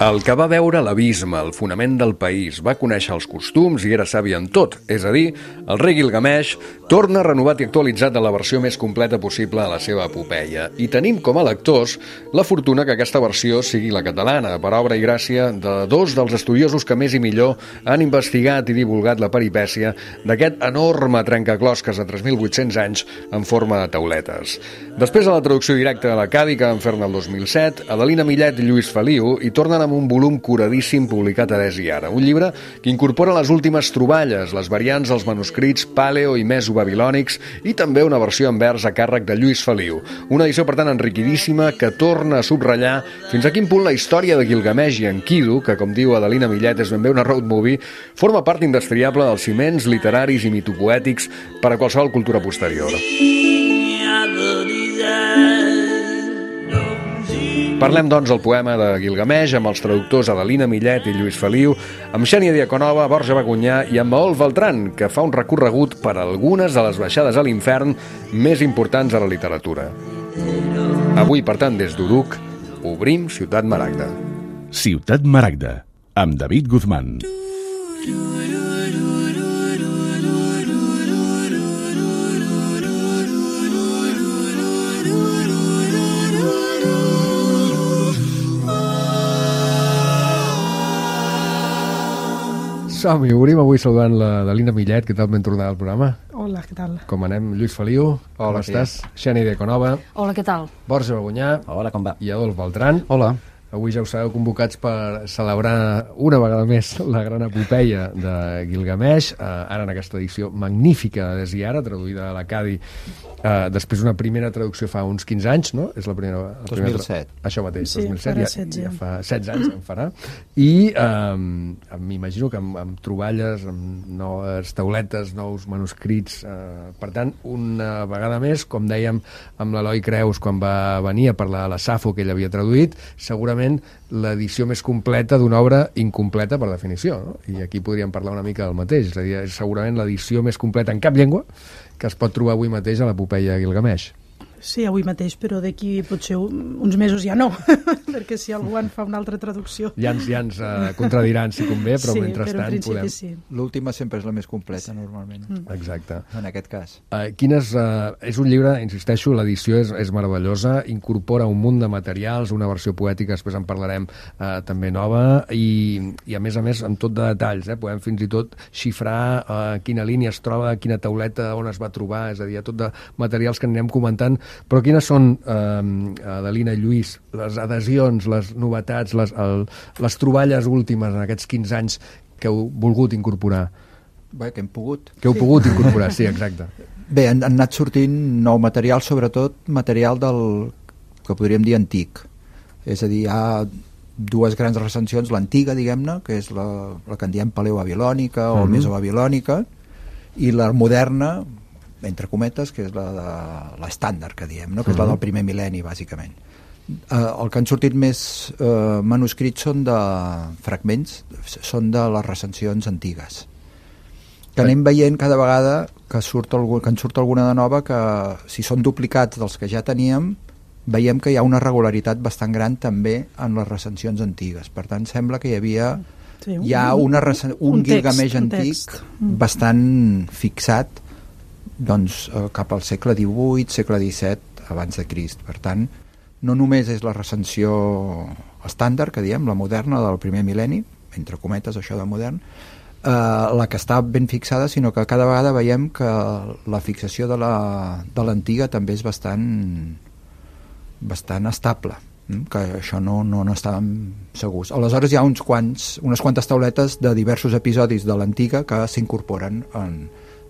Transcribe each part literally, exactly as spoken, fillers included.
El que va veure l'abisme, el fonament del país, va conèixer els costums i era savi en tot, és a dir, el rei Gilgamesh torna renovat i actualitzat en la versió més completa possible a la seva epopeia. I tenim com a lectors la fortuna que aquesta versió sigui la catalana, per obra i gràcia de dos dels estudiosos que més i millor han investigat i divulgat la peripècia d'aquest enorme trencaclosques de tres mil vuit-cents anys en forma de tauletes. Després de la traducció directa a l'Acadi, que van fer-ne el dos mil set, Adelina Millet i Lluís Feliu hi tornen amb un volum curadíssim publicat a Des i Ara, un llibre que incorpora les últimes troballes, les variants dels manuscrits paleo i mesobabilònics i també una versió en vers a càrrec de Lluís Feliu. Una edició, per tant, enriquidíssima que torna a subratllar fins a quin punt la història de Gilgamesh i Enkidu, que, com diu Adelina Millet, és ben bé una road movie, forma part indestriable dels ciments literaris i mitopoètics per a qualsevol cultura posterior. Parlem, doncs, del poema de Gilgamesh amb els traductors Adelina Millet i Lluís Feliu, amb Xènia Diaconova, Borja Bagunyà i amb Maol Beltran, que fa un recorregut per algunes de les baixades a l'infern més importants de la literatura. Avui, per tant, des d'Uruk, obrim Ciutat Maragda. Ciutat Maragda, amb David Guzmán. Som-hi, obrim avui saludant l'Adelina Millet. Què tal, ben tornada al programa? Hola, què tal? Com anem? Lluís Feliu, com estàs? Xènia Diaconova. Hola, què tal? Borja Bagunyà. Hola, com va? I Adolf Beltran. Hola. Avui ja us sabeu convocats per celebrar una vegada més la gran epopeia de Gilgamesh, eh, ara en aquesta edició magnífica de Des i Ara, traduïda a l'Acadi, eh, després una primera traducció fa uns quinze anys, no? És la primera... La dos mil set. Tra... Això mateix, sí, dos mil set, ja, setze. ja fa setze anys en farà. I eh, m'imagino que amb, amb troballes, amb noves tauletes, nous manuscrits, eh, per tant, una vegada més, com dèiem amb l'Eloi Creus quan va venir a parlar de la Safo que ell havia traduït, segurament l'edició més completa d'una obra incompleta per definició, no? I aquí podríem parlar una mica del mateix, és a dir, és segurament l'edició més completa en cap llengua que es pot trobar avui mateix a l'epopeia de Gilgamesh. Sí, avui mateix, però d'aquí potser uns mesos ja no, perquè si algú en fa una altra traducció... Ja ens, ja ens uh, contradiran si convé, però sí, mentrestant però podem... Sí. L'última sempre és la més completa, sí. Normalment. Mm. Exacte. En aquest cas. Uh, quines, uh, és un llibre, insisteixo, l'edició és, és meravellosa, incorpora un munt de materials, una versió poètica, després en parlarem uh, també nova, i, i a més a més amb tot de detalls, eh? Podem fins i tot xifrar uh, quina línia es troba, quina tauleta, on es va trobar, és a dir, tot de materials que anirem comentant. Però quines són, eh, Adelina i Lluís, les adhesions, les novetats, les, el, les troballes últimes en aquests quinze anys que heu volgut incorporar? Bé, que hem pogut. Que heu sí. pogut incorporar, sí, exacte. Bé, han, han anat sortint nou material, sobretot material del que podríem dir antic. És a dir, hi ha dues grans recensions, l'antiga, diguem-ne, que és la, la que en diem paleobabilònica o mm-hmm. mesobabilònica, i la moderna, entre cometes, que és la de l'estàndard que diem, no? Que és la del primer mil·lenni, bàsicament. Eh, el que han sortit més eh, manuscrits són de fragments, són de les recensions antigues. Que anem veient cada vegada que, surt algú, que en surt alguna de nova, que si són duplicats dels que ja teníem, veiem que hi ha una regularitat bastant gran també en les recensions antigues. Per tant, sembla que hi havia sí, un, hi ha una recen... un, un text, Gilgamesh antic bastant fixat doncs, eh, cap al segle divuit, segle disset abans de Crist. Per tant, no només és la recensió estàndard, que diem, la moderna del primer mil·lenni, entre cometes això de modern, eh, la que està ben fixada, sinó que cada vegada veiem que la fixació de l'antiga també és bastant bastant estable, que això no, no, no estàvem segurs. Aleshores hi ha uns quants, unes quantes tauletes de diversos episodis de l'antiga que s'incorporen en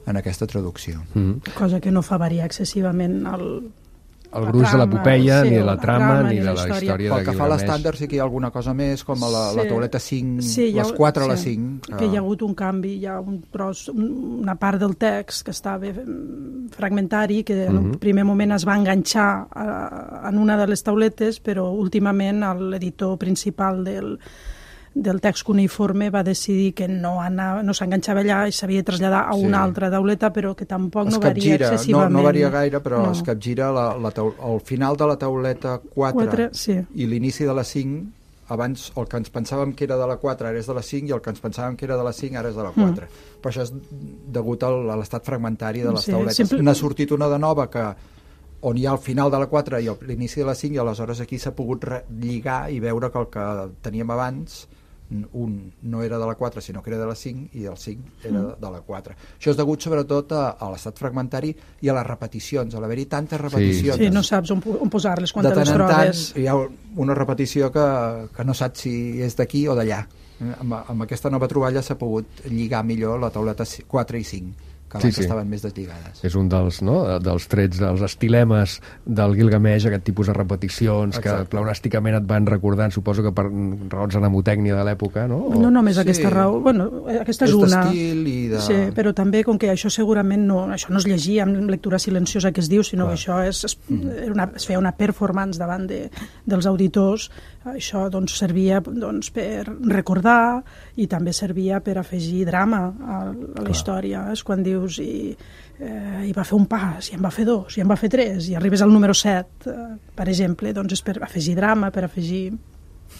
en aquesta traducció. Mm-hmm. Cosa que no fa variar excessivament el, el gruix de l'epopeia, sí, ni de la trama, trama ni de la història, història de Gilgamesh. Pel que fa a l'estàndard sí que hi ha alguna cosa més, com a la, sí. la tauleta cinc, sí, les quatre sí. a la cinc. Que hi ha hagut un canvi, hi ha un tros, una part del text que estava fragmentari, que en un primer moment es va enganxar a, en una de les tauletes, però últimament l'editor principal del del text cuneïforme va decidir que no, no s'enganxava allà i s'havia de traslladar a sí. una altra tauleta, però que tampoc es no varia excessivament. No, no varia gaire, però no. es capgira la, la taul... el final de la tauleta quatre, quatre sí. i l'inici de la cinc abans el que ens pensàvem que era de la quatre ara és de la cinc i el que ens pensàvem que era de la cinc ara és de la quatre. Mm. Però això és degut al, a l'estat fragmentari de les sí, tauletes. Sempre... N'ha sortit una de nova que on hi ha el final de la quatre i l'inici de la cinc, i aleshores aquí s'ha pogut lligar i veure que el que teníem abans, un no era de la quatre sinó que era de la cinc, i el cinc era de, de la quatre. Això és degut sobretot a, a l'estat fragmentari i a les repeticions, a l'haver-hi tantes repeticions. Sí, sí, no saps on, on posar-les quan te les trobes. De tant en tant hi ha una repetició que, que no saps si és d'aquí o d'allà. Amb, amb aquesta nova troballa s'ha pogut lligar millor la tauleta quatre i cinc, que abans sí, sí. estaven més deslligades. És un dels, no, dels trets, dels estilemes del Gilgamesh, aquest tipus de repeticions. Exacte. Que pleonàsticament et van recordant, suposo que per raons de mnemotècnia de l'època, no? O... No només sí. aquesta raó, bueno, aquesta és, és una. I de... Sí, però també com que això segurament no, això no es llegia amb lectura silenciosa que es diu, sinó Clar. que això és, es, una, es feia una performance davant de, dels auditors. Això doncs, servia doncs, per recordar i també servia per afegir drama a, a la història. És quan dius i, eh, i va fer un pas, i en va fer dos, i en va fer tres, i arribes al número set, eh, per exemple, doncs és per afegir drama, per afegir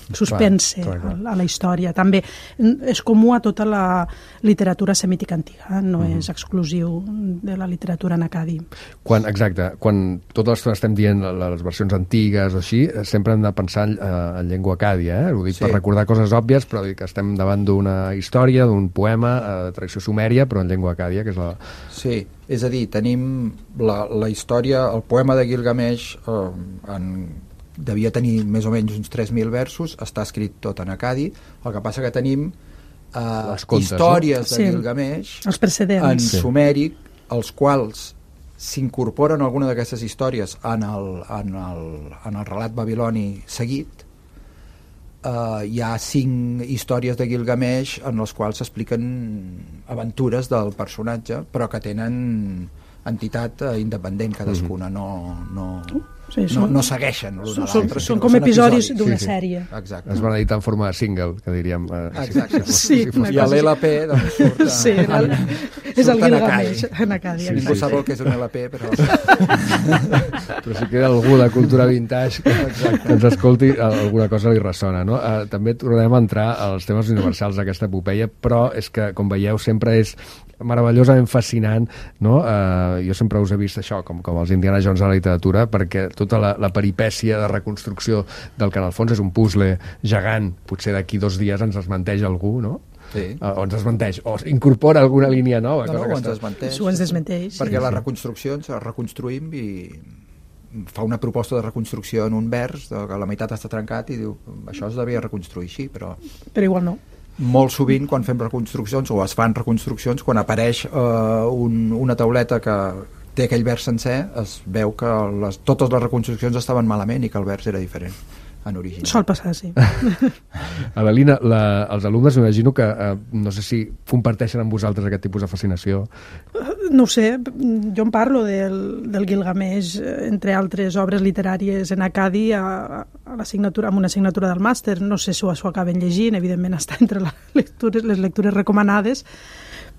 suspense clar, clar, clar. A, a la història. També és comú a tota la literatura semítica antiga, no mm. és exclusiu de la literatura en acadi. Quan, exacte, quan tota l'estona estem dient les versions antigues o així, sempre hem de pensar en, en llengua acàdia, eh? Ho dic sí. per recordar coses òbvies, però dic que estem davant d'una història, d'un poema de tradició sumèria, però en llengua acàdia, que és la... Sí, és a dir, tenim la, la història, el poema de Gilgamesh eh, en devia tenir més o menys uns tres mil versos, està escrit tot en acadi, el que passa que tenim eh, contes, històries no? de sí, Gilgamesh els precedents. En sí. sumèric, els quals s'incorporen alguna d'aquestes històries en el, en, el, en el relat babiloni seguit. Eh, hi ha cinc històries de Gilgamesh en les quals s'expliquen aventures del personatge, però que tenen entitat eh, independent cadascuna, mm-hmm. no... no Sí, són, no, no segueixen l'un a l'altre. Són com episodis d'una sí, sí. sèrie. Exacte. Es van editar en forma de single, que diríem. Eh, Exacte. Si, si, sí, si fos, I a l'L P doncs, surt, a, sí, el, és el Gilgamesh en acadi. Sí, ningú sí, sap el que és un L P, però... però si queda algú de cultura vintage que, que ens escolti, alguna cosa li ressona. No? Uh, també tornarem a entrar als temes universals d'aquesta epopeia, però és que, com veieu, sempre és meravellosament fascinant, no? Uh, jo sempre us he vist això com, com els Indiana Jones de la literatura, perquè tota la, la peripècia de reconstrucció del que en el fons és un puzzle gegant, potser d'aquí dos dies ens desmenteix algú, no? Sí. Uh, o ens desmenteix, o incorpora alguna línia nova. No, cosa no, que ens desmenteix. Ho ens desmenteix. Perquè sí, les sí. reconstruccions les reconstruïm i fa una proposta de reconstrucció en un vers, que la meitat està trencat i diu, això es devia reconstruir així, però... Però igual no. Molt sovint quan fem reconstruccions o es fan reconstruccions, quan apareix eh, un, una tauleta que té aquell vers sencer, es veu que les, totes les reconstruccions estaven malament i que el vers era diferent en origen. Sol passar, sí. Adelina, la, els alumnes m'imagino que eh, no sé si comparteixen amb vosaltres aquest tipus de fascinació. No ho sé, jo em parlo del, del Gilgamesh, entre altres obres literàries en acadi, a, a l'assignatura, amb una assignatura del màster. No sé si ho, ho acaben llegint, evidentment està entre les lectures, les lectures recomanades,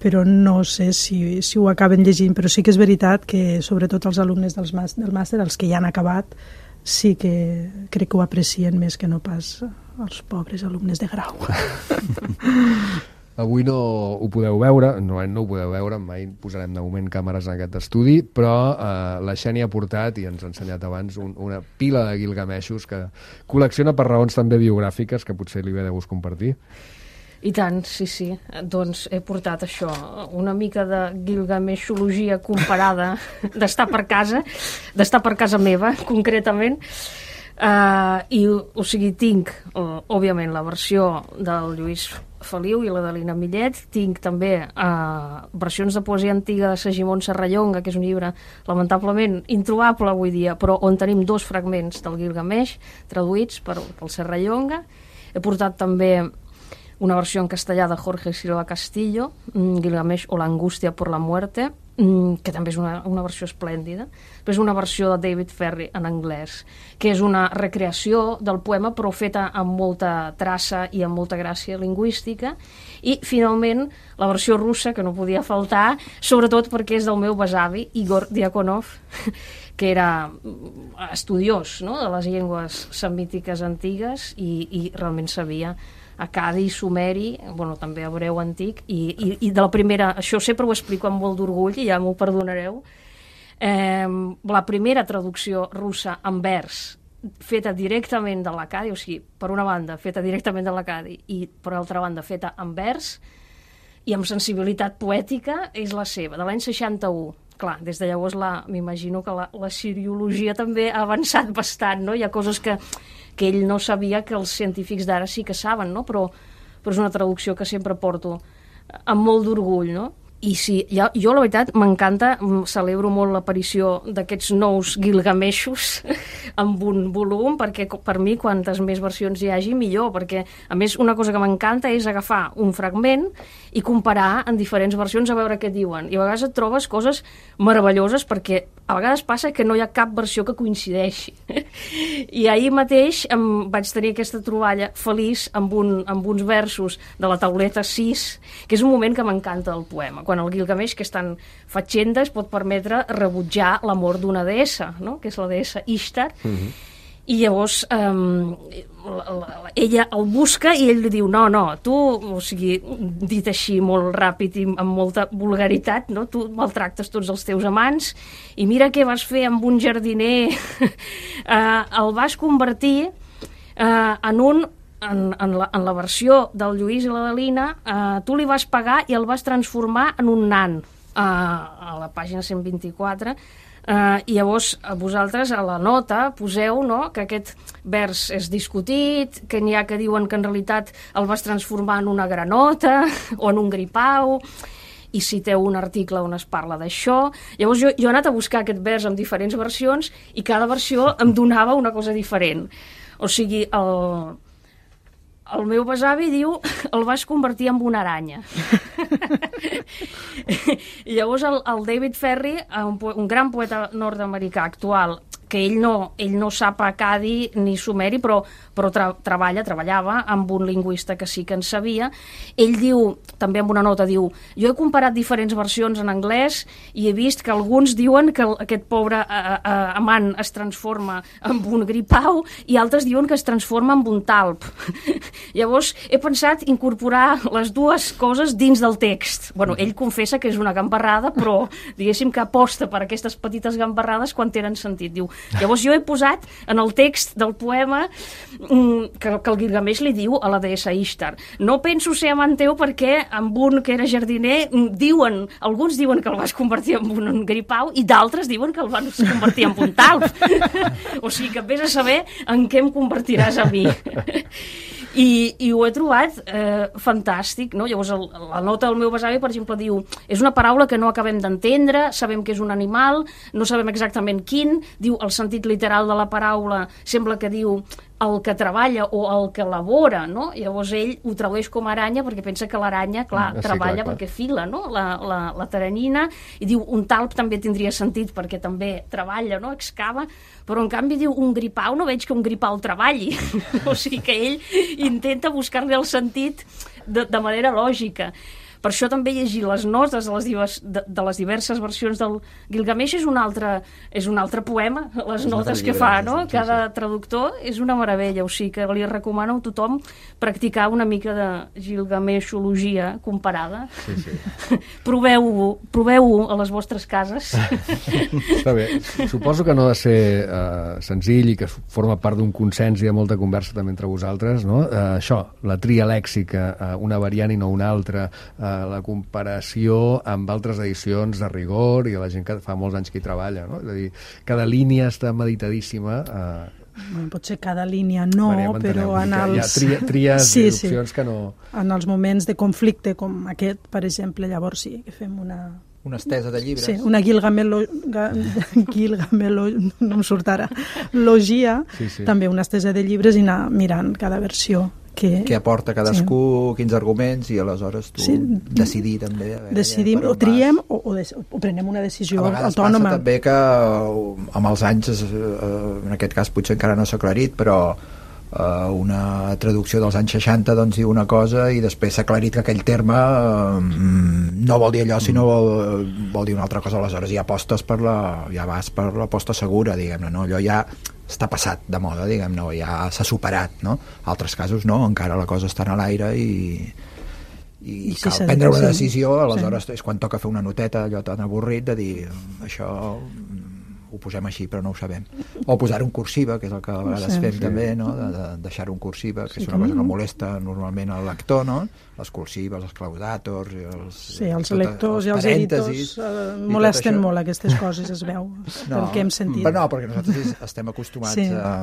però no sé si, si ho acaben llegint. Però sí que és veritat que, sobretot els alumnes dels màster, del màster, els que ja han acabat, sí que crec que ho aprecien més que no pas els pobres alumnes de grau. Avui no ho podeu veure, no, no ho podeu veure, mai posarem de moment càmeres en aquest estudi, però eh, la Xènia ha portat, i ens ha ensenyat abans, un, una pila de Gilgameshos que col·lecciona per raons també biogràfiques, que potser li ve de gust compartir. I tant, sí, sí. Doncs he portat això, una mica de Gilgameshologia comparada d'estar per casa, d'estar per casa meva, concretament. Uh, I, o sigui, tinc, uh, òbviament, la versió del Lluís Feliu i la de l'Ina Millet. Tinc també uh, versions de poesia antiga de Segimon Serrallonga, que és un llibre lamentablement introbable avui dia, però on tenim dos fragments del Gilgamesh traduïts per, pel Serrallonga. He portat també una versió en castellà de Jorge Silva Castillo, Gilgamesh o la angustia por la muerte, que també és una, una versió esplèndida. Després una versió de David Ferry en anglès, que és una recreació del poema però feta amb molta traça i amb molta gràcia lingüística. I finalment la versió russa, que no podia faltar, sobretot perquè és del meu besavi Igor Diakonov, que era estudiós, no?, de les llengües semítiques antigues i, i realment sabia acadi, sumeri, bueno, també hebreu antic, i, i, i de la primera, això sempre ho explico amb molt d'orgull, i ja m'ho perdonareu, eh, la primera traducció russa en vers, feta directament de l'acadi, o sigui, per una banda, feta directament de l'acadi, i per altra banda, feta en vers, i amb sensibilitat poètica, és la seva, de l'any seixanta-u. Clar, des de llavors m'imagino que la, la siriologia també ha avançat bastant, no? Hi ha coses que, que ell no sabia que els científics d'ara sí que saben, no? Però, però és una traducció que sempre porto amb molt d'orgull, no? I sí, ja, jo la veritat m'encanta, celebro molt l'aparició d'aquests nous Gilgameshos amb un volum, perquè per mi quantes més versions hi hagi millor, perquè a més una cosa que m'encanta és agafar un fragment i comparar en diferents versions a veure què diuen, i a vegades et trobes coses meravelloses perquè a vegades passa que no hi ha cap versió que coincideixi. I ahir mateix em vaig tenir aquesta troballa feliç amb, un, amb uns versos de la tauleta sis, que és un moment que m'encanta del poema, quan el Gilgamesh, que és tan fatxenda, es pot permetre rebutjar l'amor d'una deessa, no?, que és la deessa Ishtar, mm-hmm. I llavors um, la, la, ella el busca i ell li diu, no, no, tu, o sigui, dit així molt ràpid i amb molta vulgaritat, no? Tu maltractes tots els teus amants i mira què vas fer amb un jardiner, uh, el vas convertir uh, en un En, en, la, en la versió del Lluís i la Delina, eh, tu li vas pagar i el vas transformar en un nan, eh, a la pàgina cent vint-i-quatre, eh, i llavors vosaltres a la nota poseu, no?, que aquest vers és discutit, que n'hi ha que diuen que en realitat el vas transformar en una granota o en un gripau, i citeu un article on es parla d'això. Llavors jo, jo he anat a buscar aquest vers en diferents versions i cada versió em donava una cosa diferent. O sigui, el... El meu besavi diu, el vas convertir en una aranya. I llavors el, el David Ferry, un, un gran poeta nord-americà actual, que ell no, ell no sap acadi ni sumeri, però, però tra, treballa, treballava amb un lingüista que sí que en sabia. Ell diu, també amb una nota, diu, jo he comparat diferents versions en anglès i he vist que alguns diuen que el, aquest pobre uh, uh, amant es transforma en un gripau i altres diuen que es transforma en un talp. Llavors he pensat incorporar les dues coses dins del text. Bueno, ell confessa que és una gambarrada, però diguéssim que aposta per aquestes petites gambarrades quan tenen sentit. Diu, llavors jo he posat en el text del poema que, que el Gilgamesh li diu a la deessa Ishtar, no penso ser amant teu perquè amb un que era jardiner diuen, alguns diuen que el vas convertir en un gripau i d'altres diuen que el vas convertir en un talp. O sigui que vés a saber en què em convertiràs a mi. I, i ho he trobat eh, fantàstic, no? Llavors el, la nota del meu besavi, per exemple, diu, és una paraula que no acabem d'entendre, sabem que és un animal, no sabem exactament quin, diu el sentit literal de la paraula sembla que diu el que treballa o el que elabora, no? Llavors ell ho tradueix com a aranya perquè pensa que l'aranya, clar, sí, treballa clar, clar. Perquè fila, no? La, la, la teranyina, i diu un talp també tindria sentit perquè també treballa, no? Excava, però en canvi diu un gripau, no veig que un gripau treballi. O sigui que ell intenta buscar-li el sentit de, de manera lògica. Per això també llegir les notes de les, divers, de, de les diverses versions del Gilgamesh és un altre, és un altre poema, les és notes que fa, no? Sí, cada sí. traductor és una meravella, o sigui que li recomano a tothom practicar una mica de Gilgameshologia comparada. Sí, sí. Proveu-ho, proveu-ho a les vostres cases. Està bé. Suposo que no ha de ser uh, senzill i que forma part d'un consens i de molta conversa també entre vosaltres, no? Uh, això, la tria lèxica, uh, una variant i no una altra, uh, la comparació amb altres edicions de rigor i la gent que fa molts anys que hi treballa, no? És a dir, cada línia està meditadíssima. Eh... Bueno, potser cada línia no, Maria, però en els... Hi ha tria, tries sí, i opcions sí. que no... En els moments de conflicte com aquest, per exemple, llavors sí que fem una... Una estesa de llibres. Sí, una Gilgamelo... Gilgamelo... no em surt ara. Logia, sí, sí. També una estesa de llibres i anar mirant cada versió que, què aporta cadascú, sí. quins arguments, i aleshores tu sí. decidir també. A veure, decidim, o triem o, o, des, o prenem una decisió autònoma. A vegades autònoma. Passa també que amb els anys, en aquest cas potser encara no s'ha aclarit, però Uh, una traducció dels anys seixanta doncs diu una cosa i després s'ha aclarit que aquell terme uh, no vol dir allò sinó vol, vol dir una altra cosa, aleshores ja apostes per la, ja vas per l'aposta segura, diguem-ne, no? Allò ja està passat de moda, diguem-ne, ja s'ha superat, no? Altres casos no, encara la cosa està en l'aire i i, I cal sí, prendre una decisió, aleshores sí. és quan toca fer una noteta allò tan avorrit de dir això ho posem així però no ho sabem, o posar-ho en cursiva, que és el que a vegades sí, fem sí. també, no? de, de deixar-ho en cursiva, que sí, és una cosa que molesta normalment al lector, no? Les cursives, els claudàtors els, sí, els tot, lectors els i els editors uh, molesten molt aquestes coses, es veu no, pel que hem sentit. Però no, perquè nosaltres estem acostumats sí. a,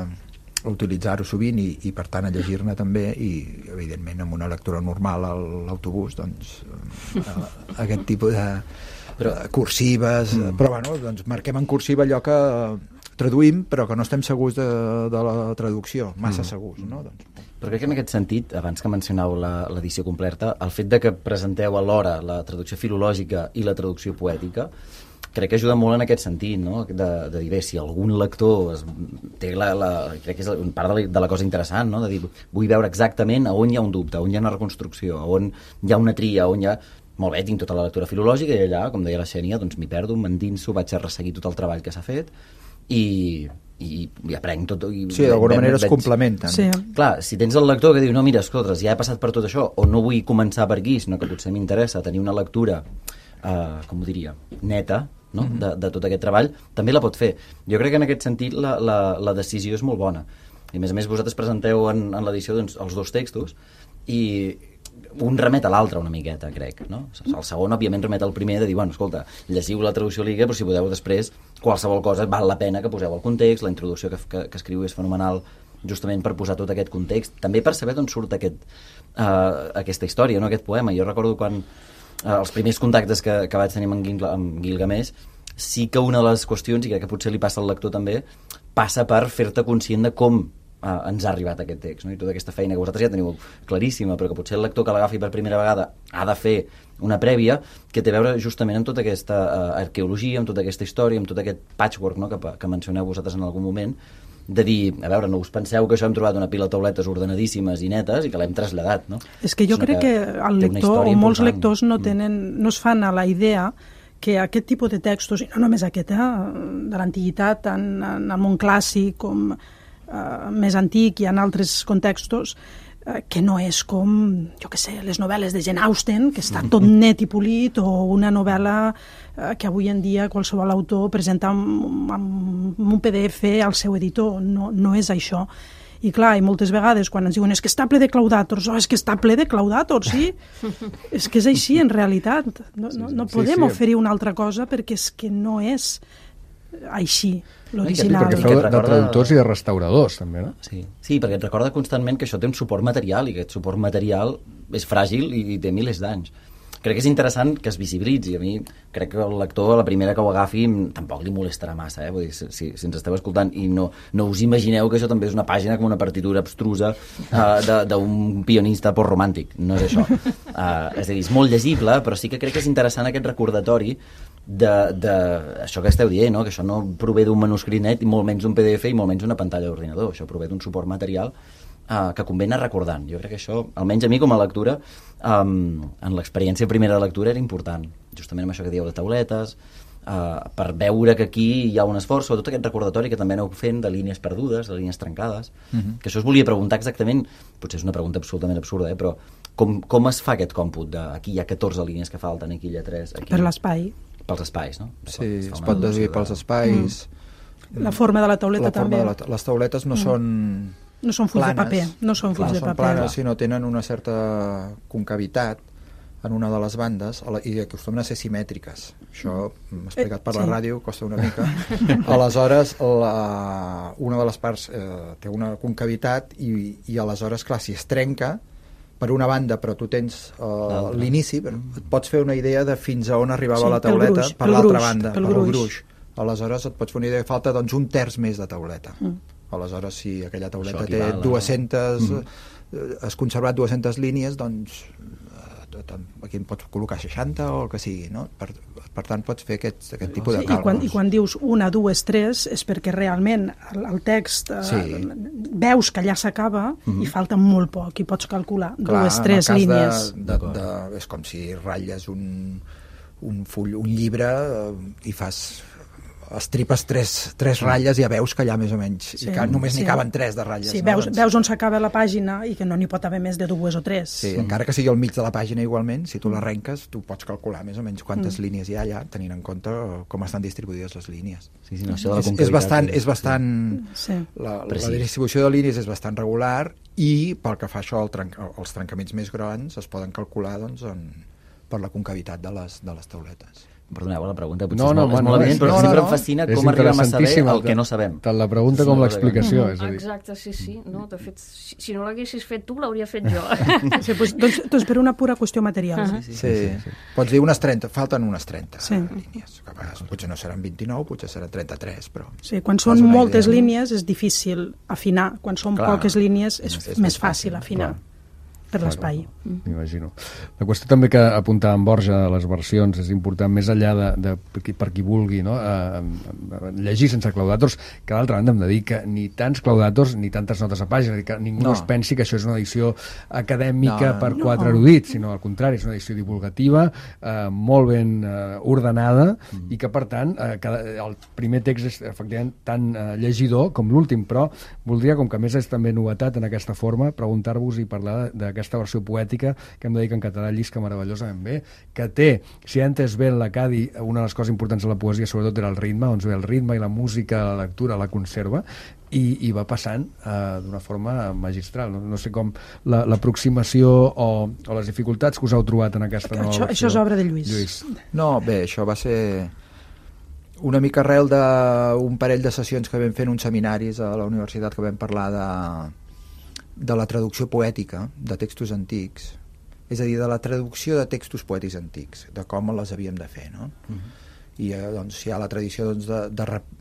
a utilitzar-ho sovint i, i per tant a llegir-ne també, i evidentment amb una lectura normal a l'autobús doncs uh, aquest tipus de però, cursives, mm. però bueno, doncs marquem en cursiva allò que traduïm però que no estem segurs de, de la traducció, massa mm. segurs, no? Doncs. Però crec que en aquest sentit, abans que mencioneu l'edició completa, el fet de que presenteu alhora la traducció filològica i la traducció poètica, crec que ajuda molt en aquest sentit, no? de, de dir, bé, si algun lector es, té la, la, crec que és part de la, de la cosa interessant, no? De dir, vull veure exactament a on hi ha un dubte, on hi ha una reconstrucció, on hi ha una tria, on hi ha... Molt bé, tinc tota la lectura filològica i allà, com deia la Xènia, doncs m'hi perdo, m'endinso, vaig a resseguir tot el treball que s'ha fet i, i, i aprenc tot. I sí, d'alguna manera es complementen. Sí. Clar, si tens el lector que diu, no, mira, escoltres, ja he passat per tot això, o no vull començar per aquí, sinó que potser m'interessa tenir una lectura, eh, com ho diria, neta, no? Mm-hmm. de, de tot aquest treball, també la pot fer. Jo crec que en aquest sentit la, la, la decisió és molt bona. I a més a més vosaltres presenteu en, en l'edició doncs, els dos textos i un remet a l'altre una miqueta, crec, no? El segon, òbviament, remet al primer de dir, bueno, escolta, llegiu la traducció liga, però si podeu després, qualsevol cosa val la pena que poseu el context, la introducció que, que, que escriu és fenomenal justament per posar tot aquest context, també per saber d'on surt aquest, uh, aquesta història, no? Aquest poema. Jo recordo quan uh, els primers contactes que, que vaig tenir amb, Gil, amb Gilgamesh, sí que una de les qüestions, i crec que potser li passa al lector també, passa per fer-te conscient de com Uh, ens ha arribat aquest text, no? I tota aquesta feina que vosaltres ja teniu claríssima, però que potser el lector que l'agafi per primera vegada ha de fer una prèvia que té a veure justament amb tota aquesta uh, arqueologia, amb tota aquesta història, amb tot aquest patchwork, no? que, que mencioneu vosaltres en algun moment, de dir, a veure, no us penseu que això hem trobat una pila de tauletes ordenadíssimes i netes i que l'hem traslladat, no? És que jo Sinó crec que, que el lector o molts lectors no, tenen, no es fan a la idea que aquest tipus de textos, i no només aquest, eh, de l'antiguitat, en, en el món clàssic, com Uh, més antic i en altres contextos, uh, que no és com, jo què sé, les novel·les de Jane Austen, que està tot net i polit, o una novel·la uh, que avui en dia qualsevol autor presenta amb, amb un P D F al seu editor. No, no és això. I clar, i moltes vegades quan ens diuen és que està ple de claudàtors, oh, és que està ple de claudàtors, sí. És que és així en realitat. No, no, no podem sí, sí. oferir una altra cosa perquè és que no és així l'original. Perquè feu de, de traductors i de restauradors també, no? Sí. sí, perquè et recorda constantment que això té un suport material i que aquest suport material és fràgil i té milers d'anys. Crec que és interessant que es visibilitzi. A mi crec que el lector, a la primera que ho agafi, tampoc li molestarà massa, eh? Vull dir, si, si ens esteu escoltant i no, no us imagineu que això també és una pàgina com una partitura abstrusa uh, d'un pianista postromàntic. No és això. Uh, és a dir, és molt llegible, però sí que crec que és interessant aquest recordatori de, de això que esteu dient, no? Que això no prové d'un manuscrit net i molt menys d'un P D F i molt menys d'una pantalla d'ordinador. Això prové d'un suport material Uh, que convé anar recordant. Jo crec que això, almenys a mi com a lectura, um, en l'experiència primera de lectura era important, justament amb això que dieu de tauletes, uh, per veure que aquí hi ha un esforç, sobretot aquest recordatori que també aneu fent de línies perdudes, de línies trencades, uh-huh. que això us volia preguntar exactament, potser és una pregunta absolutament absurda, eh, però com, com es fa aquest còmput de aquí hi ha catorze línies que falten, aquí hi ha tres... Aquí... Per l'espai. Pels espais, no? Sí, es pot deduir pels espais... Mm. La forma de la tauleta la també. De la, les tauletes no mm. són... No són fulls planes, de paper, no són fulls clar, de són paper. planes, sinó tenen una certa concavitat en una de les bandes i acostumen a ser simètriques. Això m'ha explicat per la sí. ràdio, costa una mica. Aleshores, la, una de les parts eh, té una concavitat i, i aleshores, clar, si es trenca per una banda, però tu tens uh, l'inici, et pots fer una idea de fins a on arribava sí, la tauleta gruix, per l'altra banda, pel per gruix. el gruix. Aleshores et pots fer una idea que falta doncs, un terç més de tauleta. Mm. Aleshores, si aquella tauleta té dues-centes mm. has conservat dues-centes línies, doncs aquí en pots col·locar seixanta o el que sigui, no? Per, per tant pots fer aquest, aquest tipus de sí, càlculs. I quan, I quan dius una, dues, tres és perquè realment el, el text sí. eh, veus que allà s'acaba mm-hmm. i falta molt poc i pots calcular clar, dues, tres línies. De, de, de, és com si ratlles un, un full, un llibre eh, i fas estripes tres, tres ratlles i ja veus que allà més o menys sí, i que només sí. n'hi caben tres de ratlles. Sí, no? veus, doncs... veus on s'acaba la pàgina i que no n'hi pot haver més de dues o tres. Sí, mm. encara que sigui al mig de la pàgina igualment, si tu l'arrenques, tu pots calcular més o menys quantes mm. línies hi ha allà, tenint en compte com estan distribuïdes les línies. Sí, sí, no, això de la és, és bastant... És bastant sí. la, la distribució de línies és bastant regular i pel que fa això al trenc, als trencaments més grans es poden calcular doncs, en, per la concavitat de les, de les tauletes. Perdoneu, la pregunta potser no, és no, molt, és no, molt evident, però no, sempre no, em fascina és com arribem a saber el que no sabem. Tant la pregunta sí, com l'explicació. Mm, exacte, sí, sí. No, de fet, si, si no l'haguessis fet tu, l'hauria fet jo. Sí, doncs, doncs, doncs per una pura qüestió material. Uh -huh. sí, sí, sí, sí. Pots dir unes trenta, falten unes trenta sí. línies. Que a vegades potser no seran vint-i-nou, potser seran trenta-tres, però... Sí, quan són moltes idea. línies és difícil afinar. Quan són clar, poques línies és, és, és més fàcil afinar. Clar. Per l'espai. M'imagino. La qüestió també que apuntava en Borja de les versions és important, més enllà de, de per qui vulgui, no? a, a llegir sense claudators, que d'altra banda hem de dir que ni tants claudators ni tantes notes a pàgina, que ningú no. es pensi que això és una edició acadèmica no, per quatre no. erudits, sinó al contrari, és una edició divulgativa, eh, molt ben eh, ordenada mm. i que per tant eh, cada, el primer text és efectivament tan eh, llegidor com l'últim, però voldria, com que a més és també novetat en aquesta forma, preguntar-vos i parlar d'aquesta aquesta versió poètica, que hem de dir que en català llisca meravellosament bé, que té, si ha entès bé l'Acadi, una de les coses importants de la poesia sobretot era el ritme, on ve el ritme i la música, la lectura, la conserva, i, i va passant eh, d'una forma magistral. No, no sé com l'aproximació o, o les dificultats que us heu trobat en aquesta nova això, versió. Això és obra de Lluís. Lluís. No, bé, això va ser una mica arrel d'un parell de sessions que vam fer en uns seminaris a la universitat que vam parlar de de la traducció poètica de textos antics, és a dir, de la traducció de textos poètics antics, de com les havíem de fer, no? Uh-huh. I eh, doncs hi ha la tradició doncs, de, de, rep,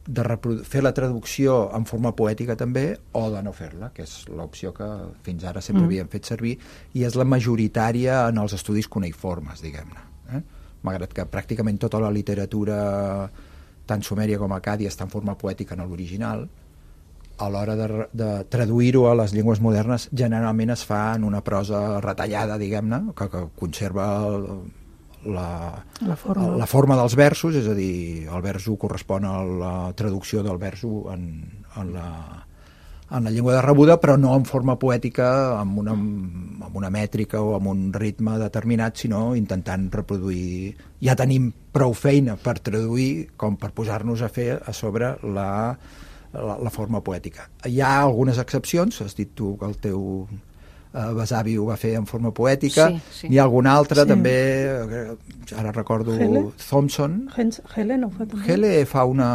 de reprodu- fer la traducció en forma poètica també, o de no fer-la, que és l'opció que fins ara sempre uh-huh. havíem fet servir, i és la majoritària en els estudis cuneïformes, diguem-ne. Eh? Malgrat que pràcticament tota la literatura, tant sumèria com acàdia, està en forma poètica en l'original, a l'hora de, de traduir-ho a les llengües modernes generalment es fa en una prosa retallada, diguem-ne, que, que conserva el, la, la, forma. la forma dels versos, és a dir, el verso correspon a la traducció del verso en, en, la, en la llengua de rebuda, però no en forma poètica, amb una, amb una mètrica o amb un ritme determinat, sinó intentant reproduir... Ja tenim prou feina per traduir com per posar-nos a fer a sobre la... La, la forma poètica. Hi ha algunes excepcions, has dit tu que el teu eh, besavi ho va fer en forma poètica, sí, sí. N'hi ha alguna altra sí. també, ara recordo Hele? Thompson. Hele no fa també. Hele fa una,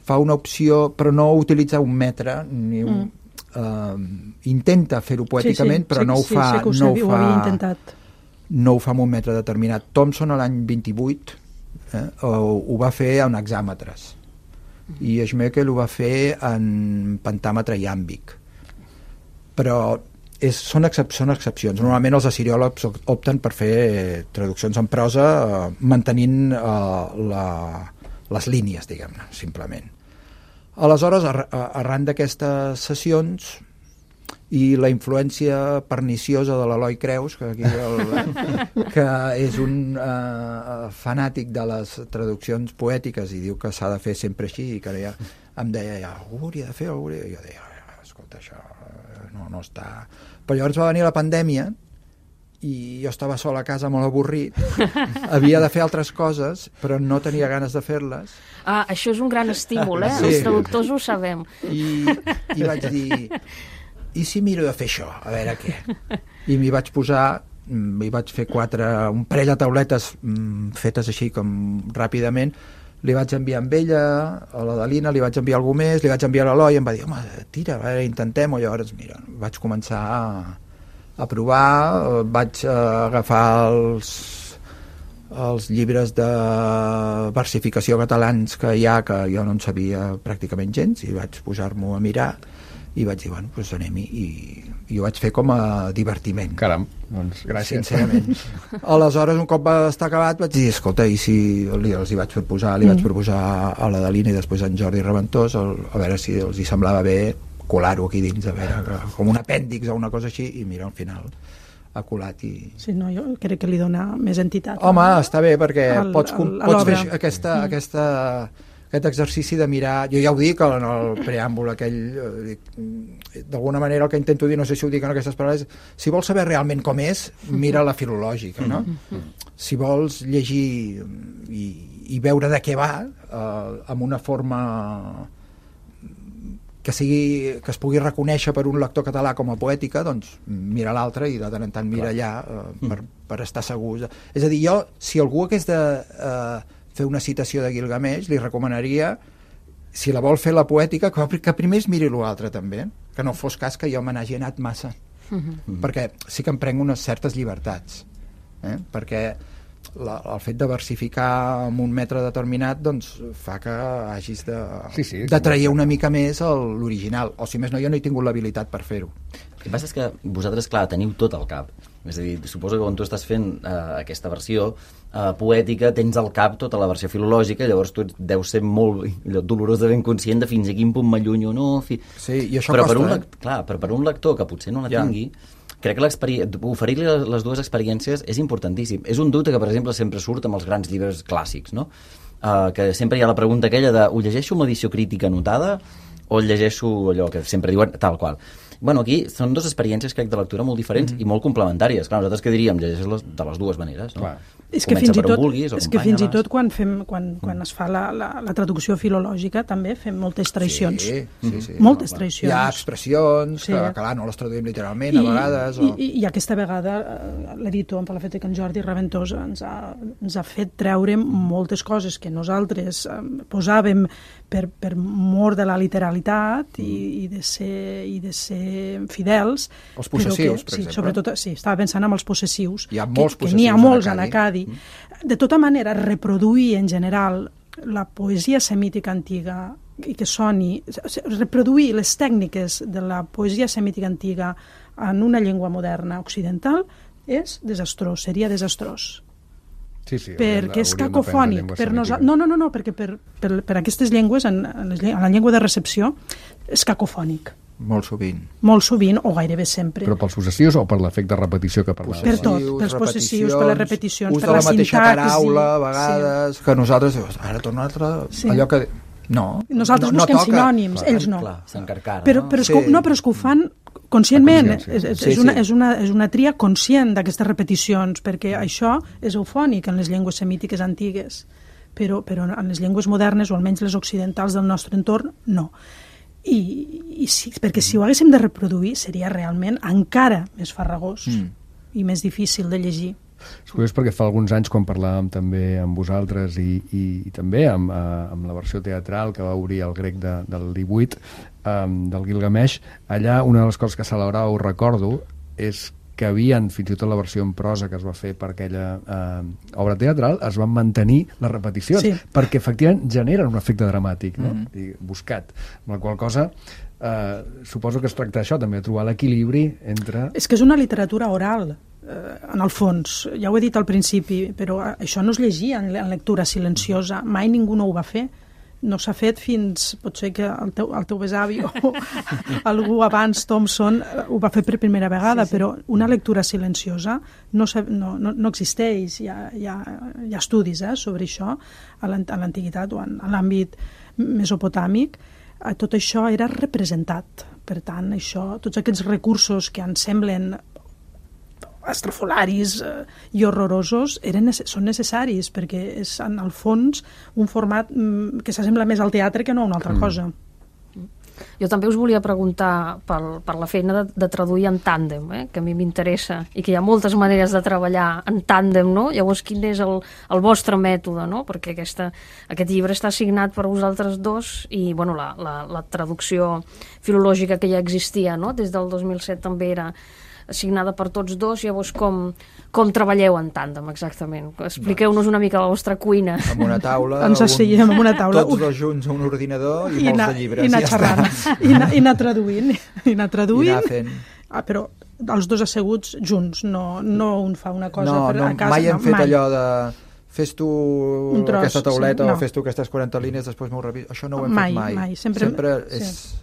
fa una opció, però no utilitza un metre, ni un, mm. eh, intenta fer-ho poèticament, sí, sí, però sí, no ho fa... Sí, sí que ho, no sabia, ho fa, ho havia intentat. No ho fa amb un metre determinat. Thompson, a l'any vint-i-vuit, eh, ho, ho va fer en hexàmetres. I Schmeckel ho va fer en pentàmetre iàmbic, però és, són, excep són excepcions. Normalment els assiriòlegs opten per fer traduccions en prosa eh, mantenint eh, la, les línies, diguem-ne, simplement. Aleshores, ar arran d'aquestes sessions i la influència perniciosa de l'Eloi Creus, que, aquí el, que és un uh, fanàtic de les traduccions poètiques i diu que s'ha de fer sempre així, i que ja, em deia, ja, algú hauria de fer, algú hauria... I jo deia, escolta, això no, no està... Però llavors va venir la pandèmia i jo estava sol a casa molt avorrit, havia de fer altres coses, però no tenia ganes de fer-les. Ah, això és un gran estímul, eh? Sí. Els traductors ho sabem. I, i vaig dir... I si miro de fer això, a veure què? I m'hi vaig posar, m'hi vaig fer quatre, un parell de tauletes mm, fetes així com ràpidament, li vaig enviar amb ella, a la Dalina, li vaig enviar algú més, li vaig enviar a l'Eloi, i em va dir, home, tira, a veure, intentem-ho. Llavors, mira, vaig començar a, a provar, vaig a agafar els, els llibres de versificació catalans que hi ha, que jo no en sabia pràcticament gens, i vaig posar-m'ho a mirar, i vaig dir, bueno, doncs anem-hi, i, i ho vaig fer com a divertiment. Caram, doncs gràcies. Sincerament. Aleshores, un cop va estar acabat, vaig dir, escolta, i si li, els hi vaig proposar, li mm. vaig proposar a l'Adelina i després a en Jordi Reventós, el, a veure si els hi semblava bé colar-ho aquí dins, a veure, com un apèndix o una cosa així, i mira, al final ha colat i... Sí, no, jo crec que li dona més entitat. Home, està bé, perquè al, pots, al, pots fer aquesta, mm. aquesta, aquest exercici de mirar... Jo ja ho dic en el preàmbul aquell... D'alguna manera el que intento dir, no sé si ho dic en aquestes paraules, si vols saber realment com és, mira la filològica, no? Si vols llegir i, i veure de què va, eh, amb una forma... que sigui, que es pugui reconèixer per un lector català com a poètica, doncs mira l'altre i de tant en tant mira allà eh, per, per estar segur. És a dir, jo, si algú hagués de eh, fer una citació de Gilgamesh, li recomanaria, si la vol fer la poètica, que, que primer es miri l'altre també, que no fos cas que jo me n'hagi anat massa, uh-huh. perquè sí que em prenc unes certes llibertats, eh? perquè La, el fet de versificar en un metre determinat doncs fa que hagis de, sí, sí, de trair una mica més l'original, o si més no, jo no he tingut l'habilitat per fer-ho. El que passa és que vosaltres, clar, teniu tot al cap. És a dir, suposo que quan tu estàs fent eh, aquesta versió eh, poètica tens al cap tota la versió filològica, llavors tu deus ser molt allò, dolorós de ben conscient de fins a quin punt m'allunyo o no. Fi... Sí, i això però costa, per un, eh? Clar, però per un lector que potser no la ja. tingui, crec que oferir-li les dues experiències és importantíssim. És un dubte que, per exemple, sempre surt amb els grans llibres clàssics, no? Uh, que sempre hi ha la pregunta aquella de ho llegeixo amb edició crítica anotada o el llegeixo allò que sempre diuen tal qual. Bueno, aquí són dues experiències, crec, de lectura molt diferents mm-hmm. i molt complementàries. Clar, nosaltres què diríem? Llegeixes de les dues maneres, no? Clar. És que, fins i, tot, vulguis, és que fins i tot quan, fem, quan, quan es fa la, la, la traducció filològica també fem moltes traïcions. Sí, sí, sí. Moltes no, traïcions. Hi ha expressions sí. que, clar, no les traduïm literalment I, a vegades. O... I, i aquesta vegada l'editor, per la fet que en Jordi Reventós ens ha, ens ha fet treure moltes coses que nosaltres eh, posàvem per, per mort de la literalitat i, i, de ser, i de ser fidels. Els possessius, que, per sí, exemple. Sobretot, sí, estava pensant en els possessius. Hi ha molts que, possessius que n'hi ha molts en Acadi. Mm. De tota manera, reproduir en general la poesia semítica antiga i que soni, reproduir les tècniques de la poesia semítica antiga en una llengua moderna occidental és desastrós, seria desastrós. Sí, sí, perquè és cacofònic. Per nosa... No, no, no, no, perquè per, per, per aquestes llengües, en, en, les, en la llengua de recepció, és cacofònic. Molt sovint. Molt sovint, o gairebé sempre. Però pels possessius o per l'efecte repetició que parlaves? Per tot, pels possessius, per les repeticions, per la, la mateixa sintaxi, paraula, a vegades, sí. que nosaltres, ara torna una altra, sí. allò que... No, nosaltres no, busquem no sinònims, clar, ells no. Clar, s'encarcara, però, no? però, és sí. que, no, però és que ho fan conscientment, és, és, sí, és, una, sí. és, una, és una tria conscient d'aquestes repeticions, perquè això és eufònic en les llengües semítiques antigues, però, però en les llengües modernes, o almenys les occidentals del nostre entorn, no. I, i sí, perquè si ho haguéssim de reproduir seria realment encara més farragós mm. i més difícil de llegir. És curiós perquè fa alguns anys, quan parlàvem també amb vosaltres i, i, i també amb, uh, amb la versió teatral que va obrir el grec de, del divuit, um, del Gilgamesh, allà una de les coses que celebrava, ho recordo, és que havien, fins i tot la versió en prosa que es va fer per aquella eh, obra teatral, es van mantenir les repeticions, sí. perquè efectivament generen un efecte dramàtic, no? Mm. I buscat. Amb la qual cosa eh, suposo que es tracta d'això, també, de trobar l'equilibri entre... És que és una literatura oral, eh, en el fons, ja ho he dit al principi, però això no es llegia en, en lectura silenciosa, mai ningú no ho va fer. No s'ha fet fins, potser que el teu, el teu besavi o algú abans, Thompson, ho va fer per primera vegada, sí, sí. però una lectura silenciosa no, no, no, no existeix. Hi ha, hi ha, hi ha estudis eh, sobre això a l'antiguitat o en, en l'àmbit mesopotàmic. Tot això era representat. Per tant, això, tots aquests recursos que ens semblen estrafolaris eh, i horrorosos eren, són necessaris perquè és en el fons un format mm, que s'assembla més al teatre que no a una altra mm. cosa. Jo també us volia preguntar per, per la feina de, de traduir en tàndem, eh, que a mi m'interessa i que hi ha moltes maneres de treballar en tàndem, no? Llavors quin és el, el vostre mètode, no? Perquè aquesta, aquest llibre està signat per vosaltres dos i bueno, la, la, la traducció filològica que ja existia, no? Des del dos mil set també era assignada per tots dos. Llavors, com, com treballeu en tàndem, exactament? Expliqueu-nos una mica la vostra cuina. Amb una taula, ens asseiem amb una taula, tots dos junts a un ordinador i, I molts anar, de llibres. I anar ja xerrant, i anar, i anar traduint. I anar traduint. I anar fent... Ah, però els dos asseguts junts, no, no un fa una cosa no, per no, a casa. Mai hem no, fet mai. allò de... Fes tu tros, aquesta tauleta sí, no. o fes tu aquestes quaranta línies, després m'ho reviso. Això no ho hem mai, fet mai. Mai. Sempre, Sempre sí. és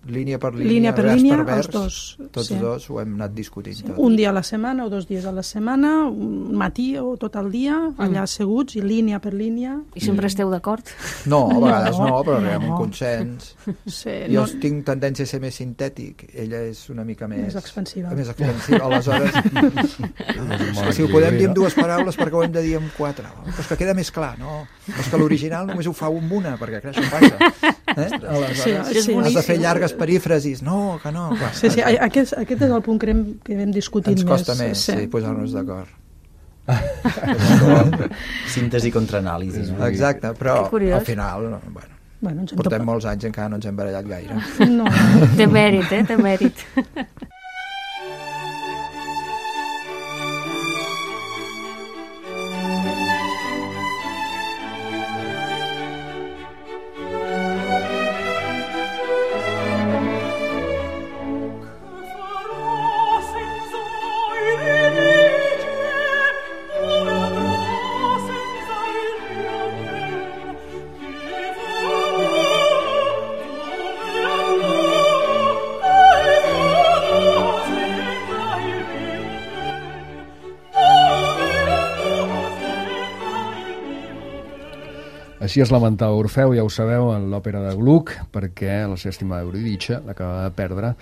línia per línia, línia per vers línia, per vers. els dos. Tots sí. dos ho hem anat discutint. Sí. Tot. Un dia a la setmana o dos dies a la setmana, un matí o tot el dia, allà asseguts, i línia per línia. I sempre esteu d'acord? No, a vegades no, No, però arribem a no. un consens. Sí, Jo no, tinc tendència a ser més sintètic, ella és una mica més... Més expansiva. Més expansiva, aleshores... és que si ho podem dir en dues paraules, perquè ho hem de dir en quatre. Però és que queda més clar, no? Però és que l'original només ho fa un amb una, perquè crec, això passa. Eh? Aleshores, Sí, sí. has de fer llargues perífrasis. No, que no. Clar, sí, sí, aquest, aquest és el punt que hem, que hem discutit ens costa més. més, sí, sí posar-nos d'acord. Síntesi contra anàlisi. No? Exacte, però Que curiós. al final, bueno, Bueno, ens hem portem topat. molts anys encara no ens hem barallat gaire. No, Té mèrit, eh? Té mèrit. Així es lamentava Orfeu, ja ho sabeu, en l'òpera de Gluck, perquè la seva estimada Eurídice l'acaba de perdre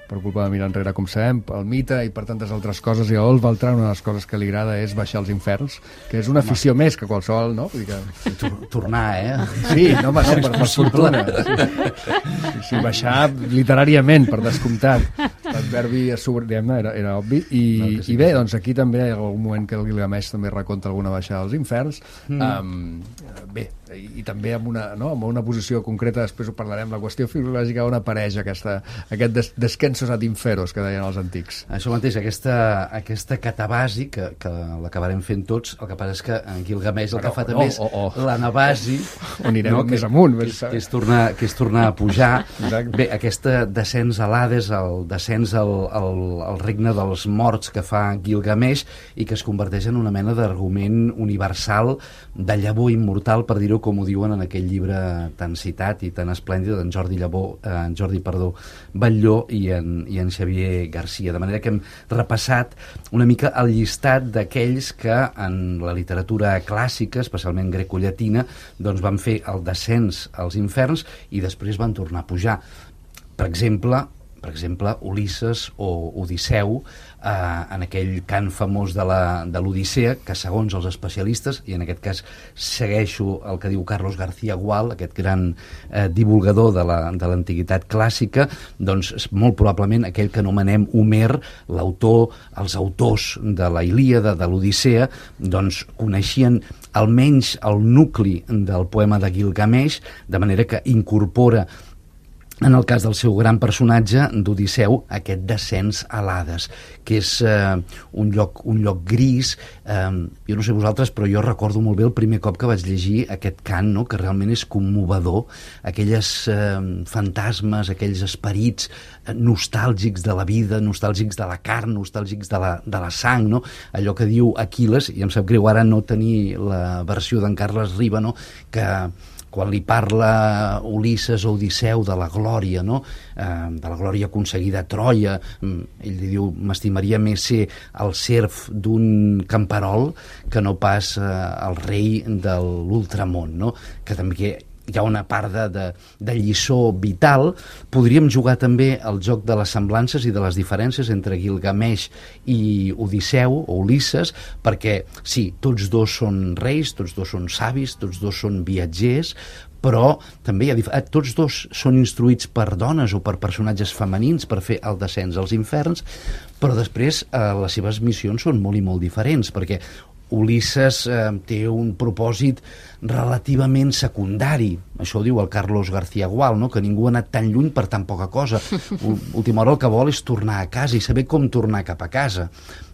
per culpa de mirar enrere, com sabem, pel mite i per tantes altres coses, i a Ol Beltrán una de les coses que li agrada és baixar als inferns, que és una afició més que qualsevol, no? Vull dir que... Tor- Tornar, eh? Sí, no, home, no, per, per fortuna. Sí, sí, baixar literàriament, per descomptat. L'adverbi diguem-ne era, era obvi. I, no, sí, i bé, doncs aquí també hi ha algun moment que el Gilgamesh també reconta alguna baixada als inferns. Mm. Um, bé, i, i també amb una, no, amb una posició concreta, després ho parlarem, la qüestió filològica on apareix aquesta, aquest des, descensos ad inferos que deien els antics. Això mateix, aquesta, aquesta catabasi que, que l'acabarem fent tots, el que passa és que en Gilgamesh el Però, que fa no, també és o- o- l'anabasi, on anirem no, més que, amunt, que, més és, que, és tornar, que és tornar a pujar. Exacte. Bé, aquesta descens a l'Hades, el descens al, al, al regne dels morts que fa Gilgamesh i que es converteix en una mena d'argument universal de llavor immortal, per dir-ho com ho diuen en aquell llibre tan citat i tan esplèndid d'en Jordi Llavor, eh, en Jordi, perdó, Batlló i en, i en Xavier Garcia. De manera que hem repassat una mica el llistat d'aquells que en la literatura clàssica, especialment grecollatina, doncs van fer el descens als inferns i després van tornar a pujar. Per exemple, per exemple, Ulisses o Odisseu, eh, en aquell cant famós de la- de l'Odissea, que segons els especialistes, i en aquest cas segueixo el que diu Carlos García Gual, aquest gran eh, divulgador de la- de l'antiguitat clàssica, doncs és molt probablement aquell que anomenem Homer, l'autor, els autors de la Ilíada, de l'Odissea, doncs coneixien almenys el nucli del poema de Gilgamesh, de manera que incorpora en el cas del seu gran personatge d'Odisseu, aquest descens a l'Hades, que és eh, un, lloc, un lloc gris. Eh, jo no sé vosaltres, però jo recordo molt bé el primer cop que vaig llegir aquest cant, no?, que realment és commovedor, aquelles eh, fantasmes, aquells esperits eh, nostàlgics de la vida, nostàlgics de la carn, nostàlgics de la, de la sang, no? Allò que diu Aquil·les, i em sap greu ara no tenir la versió d'en Carles Riba, no?, que quan li parla Ulisses o Odisseu de la glòria, no? eh, de la glòria aconseguida a Troia, ell li diu, m'estimaria més ser el serf d'un camperol que no pas eh, el rei de l'ultramont, no? Que també hi ha una part de, de, de lliçó vital. Podríem jugar també al joc de les semblances i de les diferències entre Gilgamesh i Odisseu o Ulisses, perquè sí, tots dos són reis, tots dos són savis, tots dos són viatgers, però també hi ha dif- eh, tots dos són instruïts per dones o per personatges femenins per fer el descens als inferns, però després eh, les seves missions són molt i molt diferents, perquè Ulisses eh, té un propòsit relativament secundari. Això ho diu el Carlos García Gual, no? Que ningú ha anat tan lluny per tan poca cosa. Última hora el que vol és tornar a casa i saber com tornar cap a casa.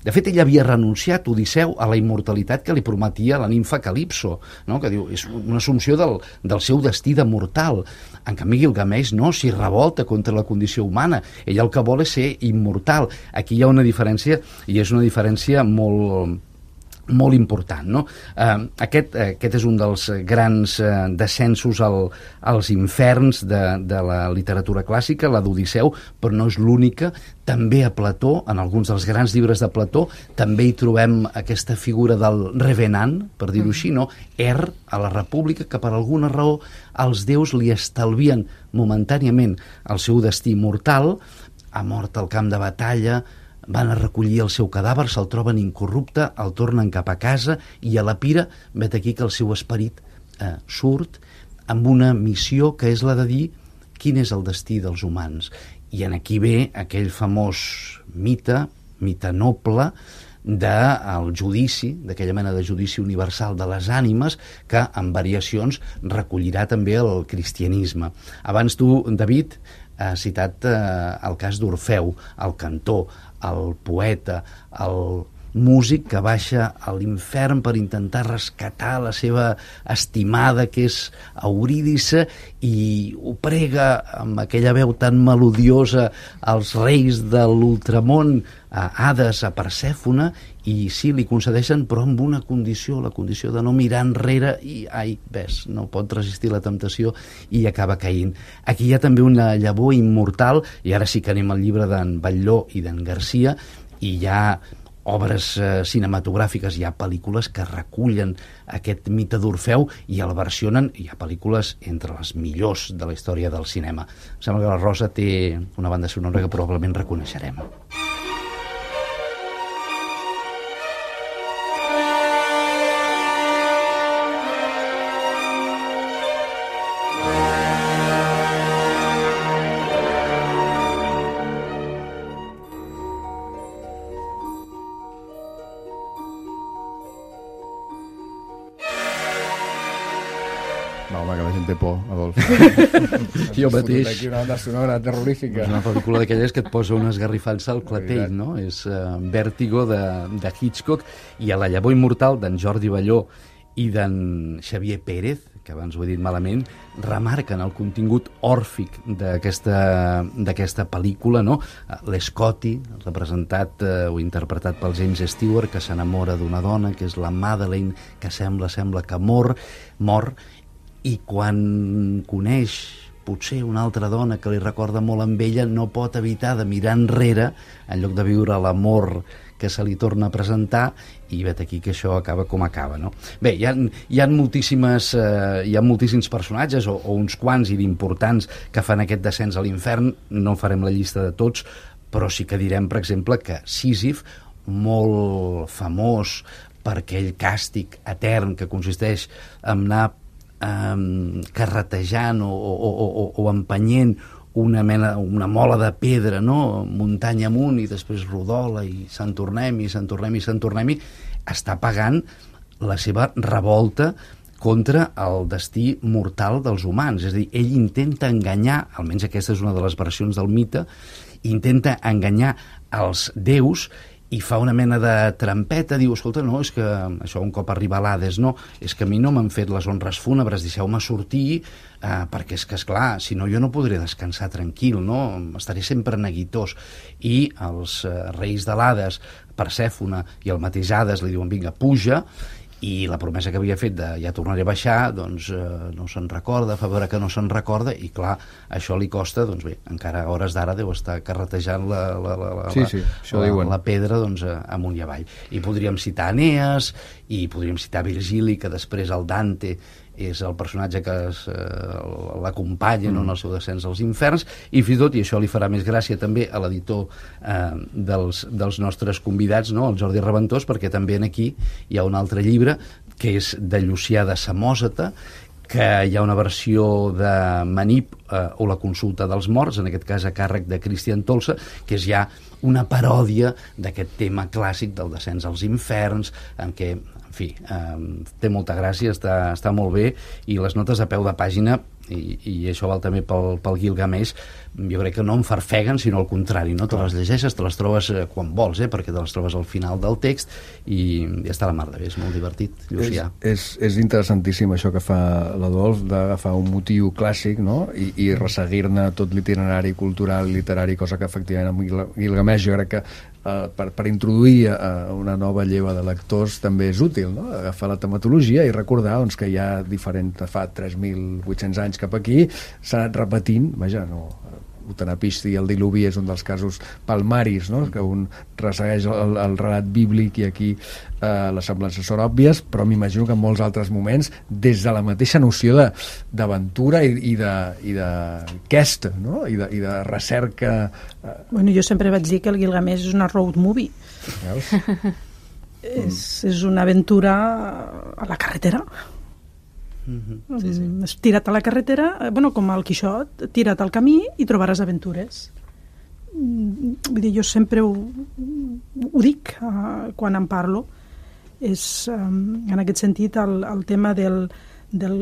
De fet, ell havia renunciat, Odisseu, a la immortalitat que li prometia la nimfa Calipso, no? Que diu, és una assumpció del, del seu destí de mortal. En canvi, Gilgamesh no, s'hi revolta contra la condició humana. Ell el que vol és ser immortal. Aquí hi ha una diferència, i és una diferència molt... molt important, no? Eh, aquest, aquest és un dels grans eh, descensos al, als inferns de, de la literatura clàssica, la d'Odisseu, però no és l'única. També a Plató, en alguns dels grans llibres de Plató, també hi trobem aquesta figura del revenant, per dir-ho així, no? Er, a la República, que per alguna raó els déus li estalvien momentàniament el seu destí mortal, ha mort al camp de batalla, van a recollir el seu cadàver, se'l troben incorrupte, el tornen cap a casa i a la pira vet aquí que el seu esperit eh, surt amb una missió que és la de dir quin és el destí dels humans. I en aquí ve aquell famós mite, mite noble, del judici, d'aquella mena de judici universal de les ànimes que en variacions recollirà també el cristianisme. Abans tu, David, has citat eh, el cas d'Orfeu, el cantor, el poeta, el músic que baixa a l'infern per intentar rescatar la seva estimada, que és Eurídice, i ho prega amb aquella veu tan melodiosa als reis de l'ultramón, a Hades, a Persèfone, i sí, li concedeixen, però amb una condició, la condició de no mirar enrere, i, ai, ves, no pot resistir la temptació i acaba caient. Aquí hi ha també una llavor immortal, i ara sí que anem al llibre d'en Batlló i d'en Garcia, i hi ha obres eh, cinematogràfiques, hi ha pel·lícules que recullen aquest mite d'Orfeu i el versionen, hi ha pel·lícules entre les millors de la història del cinema. Em sembla que la Rosa té una banda sonora que probablement reconeixerem. No, home, que la gent té por, Adolf. Jo mateix. Aquí una banda sonora terrorífica. És una pel·lícula d'aquelles que et posa una esgarrifança al clatell, no? És uh, Vèrtigo de, de Hitchcock, i a La llavor immortal d'en Jordi Balló i d'en Xavier Pérez, que abans ho he dit malament, remarquen el contingut òrfic d'aquesta d'aquesta pel·lícula, no? L'Scotty, representat eh, o interpretat pel James Stewart, que s'enamora d'una dona, que és la Madeleine, que sembla, sembla que mor, mor, i quan coneix potser una altra dona que li recorda molt amb ella, no pot evitar de mirar enrere en lloc de viure l'amor que se li torna a presentar, i vet aquí que això acaba com acaba, no? Bé, hi ha, hi ha moltíssimes eh, hi ha moltíssims personatges, o, o uns quants i d'importants, que fan aquest descens a l'infern. No farem la llista de tots, però sí que direm, per exemple, que Sísif, molt famós per aquell càstig etern que consisteix en anar eh, carretejant o, o, o, o empenyent una mena, una mola de pedra, no? Muntanya amunt, i després rodola, i se'n tornem, i se'n tornem, i se'n tornem, i està pagant la seva revolta contra el destí mortal dels humans. És a dir, ell intenta enganyar, almenys aquesta és una de les versions del mite, intenta enganyar els déus i fa una mena de trampeta, diu, escolta, no, és que això un cop arriba a l'Hades, no, és que a mi no m'han fet les honres fúnebres, deixeu-me sortir, eh, perquè és que, esclar, si no jo no podré descansar tranquil, no, estaré sempre neguitós. I els eh, reis de l'Hades, Persèfone i el mateix Hades, li diuen, vinga, puja, i la promesa que havia fet de ja tornaré a baixar, doncs eh, no se'n recorda, fa veure que no se'n recorda, i clar, això li costa, doncs bé, encara a hores d'ara deu estar carretejant la, la, la, la, sí, sí, això la, diuen. la pedra, doncs, amunt i avall. I podríem citar Enees, i podríem citar Virgili, que després el Dante és el personatge que es, eh, l'acompanya mm. no, en el seu descens als inferns, i fins i tot, i això li farà més gràcia també a l'editor eh, dels, dels nostres convidats, no, el Jordi Reventós, perquè també en aquí hi ha un altre llibre que és de Llucià de Samòsata, que hi ha una versió de Manip, eh, o la consulta dels morts, en aquest cas a càrrec de Cristian Tolsa, que és ja una paròdia d'aquest tema clàssic del descens als inferns, en què, en en fi, eh, té molta gràcia, està, està molt bé, i les notes a peu de pàgina, i, i això val també pel, pel Gilgamesh, jo crec que no en farfeguen, sinó al contrari, no? Te les llegeixes, te les trobes quan vols, eh? Perquè te les trobes al final del text, i ja està la mar de bé, és molt divertit, Llucià. És, és, és interessantíssim això que fa l'Adolf, d'agafar un motiu clàssic, no? I, i resseguir-ne tot l'itinerari cultural, literari, cosa que efectivament amb Gilgamesh jo crec que Uh, per, per introduir uh, una nova lleva de lectors també és útil, no? Agafar la tematologia i recordar doncs, que hi ha diferents, fa tres mil vuit-cents anys cap aquí, s'ha anat repetint, vaja, no, Utanapishti i el diluvi és un dels casos palmaris, no? Que un ressegueix el, el relat bíblic i aquí eh, les semblances són òbvies, però m'imagino que en molts altres moments, des de la mateixa noció d'aventura i, i de, i de quest, no? I de, i de recerca. Eh. Bueno, jo sempre vaig dir que el Gilgamesh és una road movie. Veus? és, és una aventura a la carretera. Mm-hmm. Sí, sí. Mm, tira't a la carretera, bueno, com el Quixot, tira't al camí i trobaràs aventures. Mm, vull dir, jo sempre ho, ho dic uh, quan en parlo. És, um, en aquest sentit, el, el tema del, del,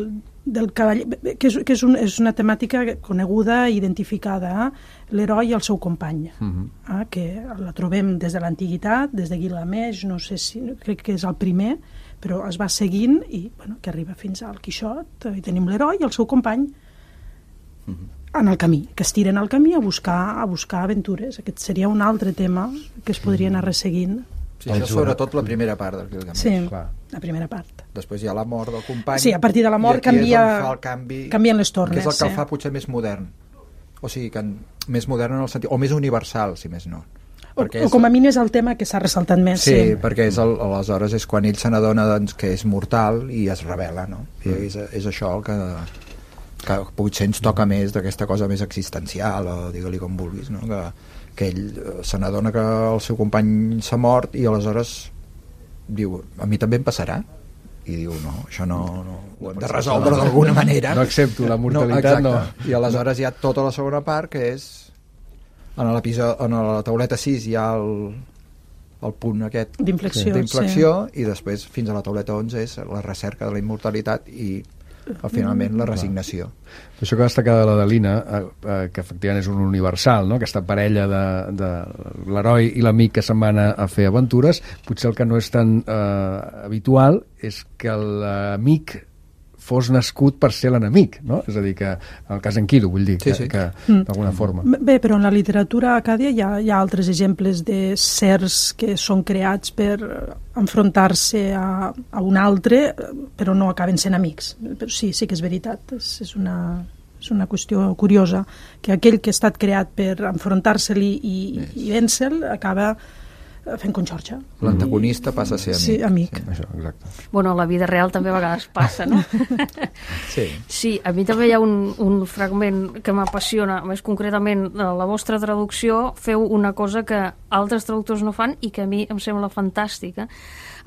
del cavall, que, és, que és, un, és una temàtica coneguda i identificada, eh? L'heroi i el seu company, Mm-hmm. eh? Que la trobem des de l'antiguitat, des de Gilgamesh, no sé si, crec que és el primer, però es va seguint i bueno, que arriba fins al Quixot, i tenim l'heroi i el seu company en el camí, que es tiren al camí a buscar, a buscar aventures. Aquest seria un altre tema que es podria anar resseguint. Sí, això és sobretot la primera part del Gilgamesh. Sí, clar. la primera part. Després hi ha la mort del company. Sí, a partir de la mort i aquí canvia, és on fa el canvi, canvien les tornes. que és el que el sí. fa potser més modern. O sigui, que en, més modern en el sentit, o més universal, si més no. O, o com a mínim és el tema que s'ha ressaltat més. Sí, sí. perquè és el, aleshores és quan ell se n'adona doncs, que és mortal i es revela, no? I és, és això el que, que potser ens toca més d'aquesta cosa més existencial, o digue-li com vulguis, no? Que, que ell se n'adona que el seu company s'ha mort i aleshores diu, a mi també em passarà? I diu, no, això no, no ho hem de resoldre d'alguna manera. No accepto la mortalitat, no. no. I aleshores hi ha tota la segona part, que és en l'episodi, en la tauleta sis hi ha el, el punt aquest d'inflexió, d'inflexió sí. I després fins a la tauleta onze és la recerca de la immortalitat i finalment la resignació. Això que destaca de l'Adelina, eh, eh, que efectivament és un universal, no? Aquesta parella de, de l'heroi i l'amic que se'n van a, a fer aventures, potser el que no és tan eh, habitual és que l'amic fos nascut per ser l'enemic, no? És a dir, que en el cas d'Enkidu, vull dir, sí, que, sí. que mm. d'alguna forma. Bé, però en la literatura acàdia hi ha, hi ha altres exemples de sers que són creats per enfrontar-se a, a un altre, però no acaben sent amics. Però sí, sí que és veritat, és, és una... és una qüestió curiosa, que aquell que ha estat creat per enfrontar-se-li i, yes. i vèncer acaba fent conxorxa. L'antagonista passa a ser amic. Sí, amic. Sí. Això, exacte. Bueno, a la vida real també a vegades passa, no? Sí. Sí, a mi també hi ha un, un fragment que m'apassiona, més concretament la vostra traducció, feu una cosa que altres traductors no fan i que a mi em sembla fantàstica.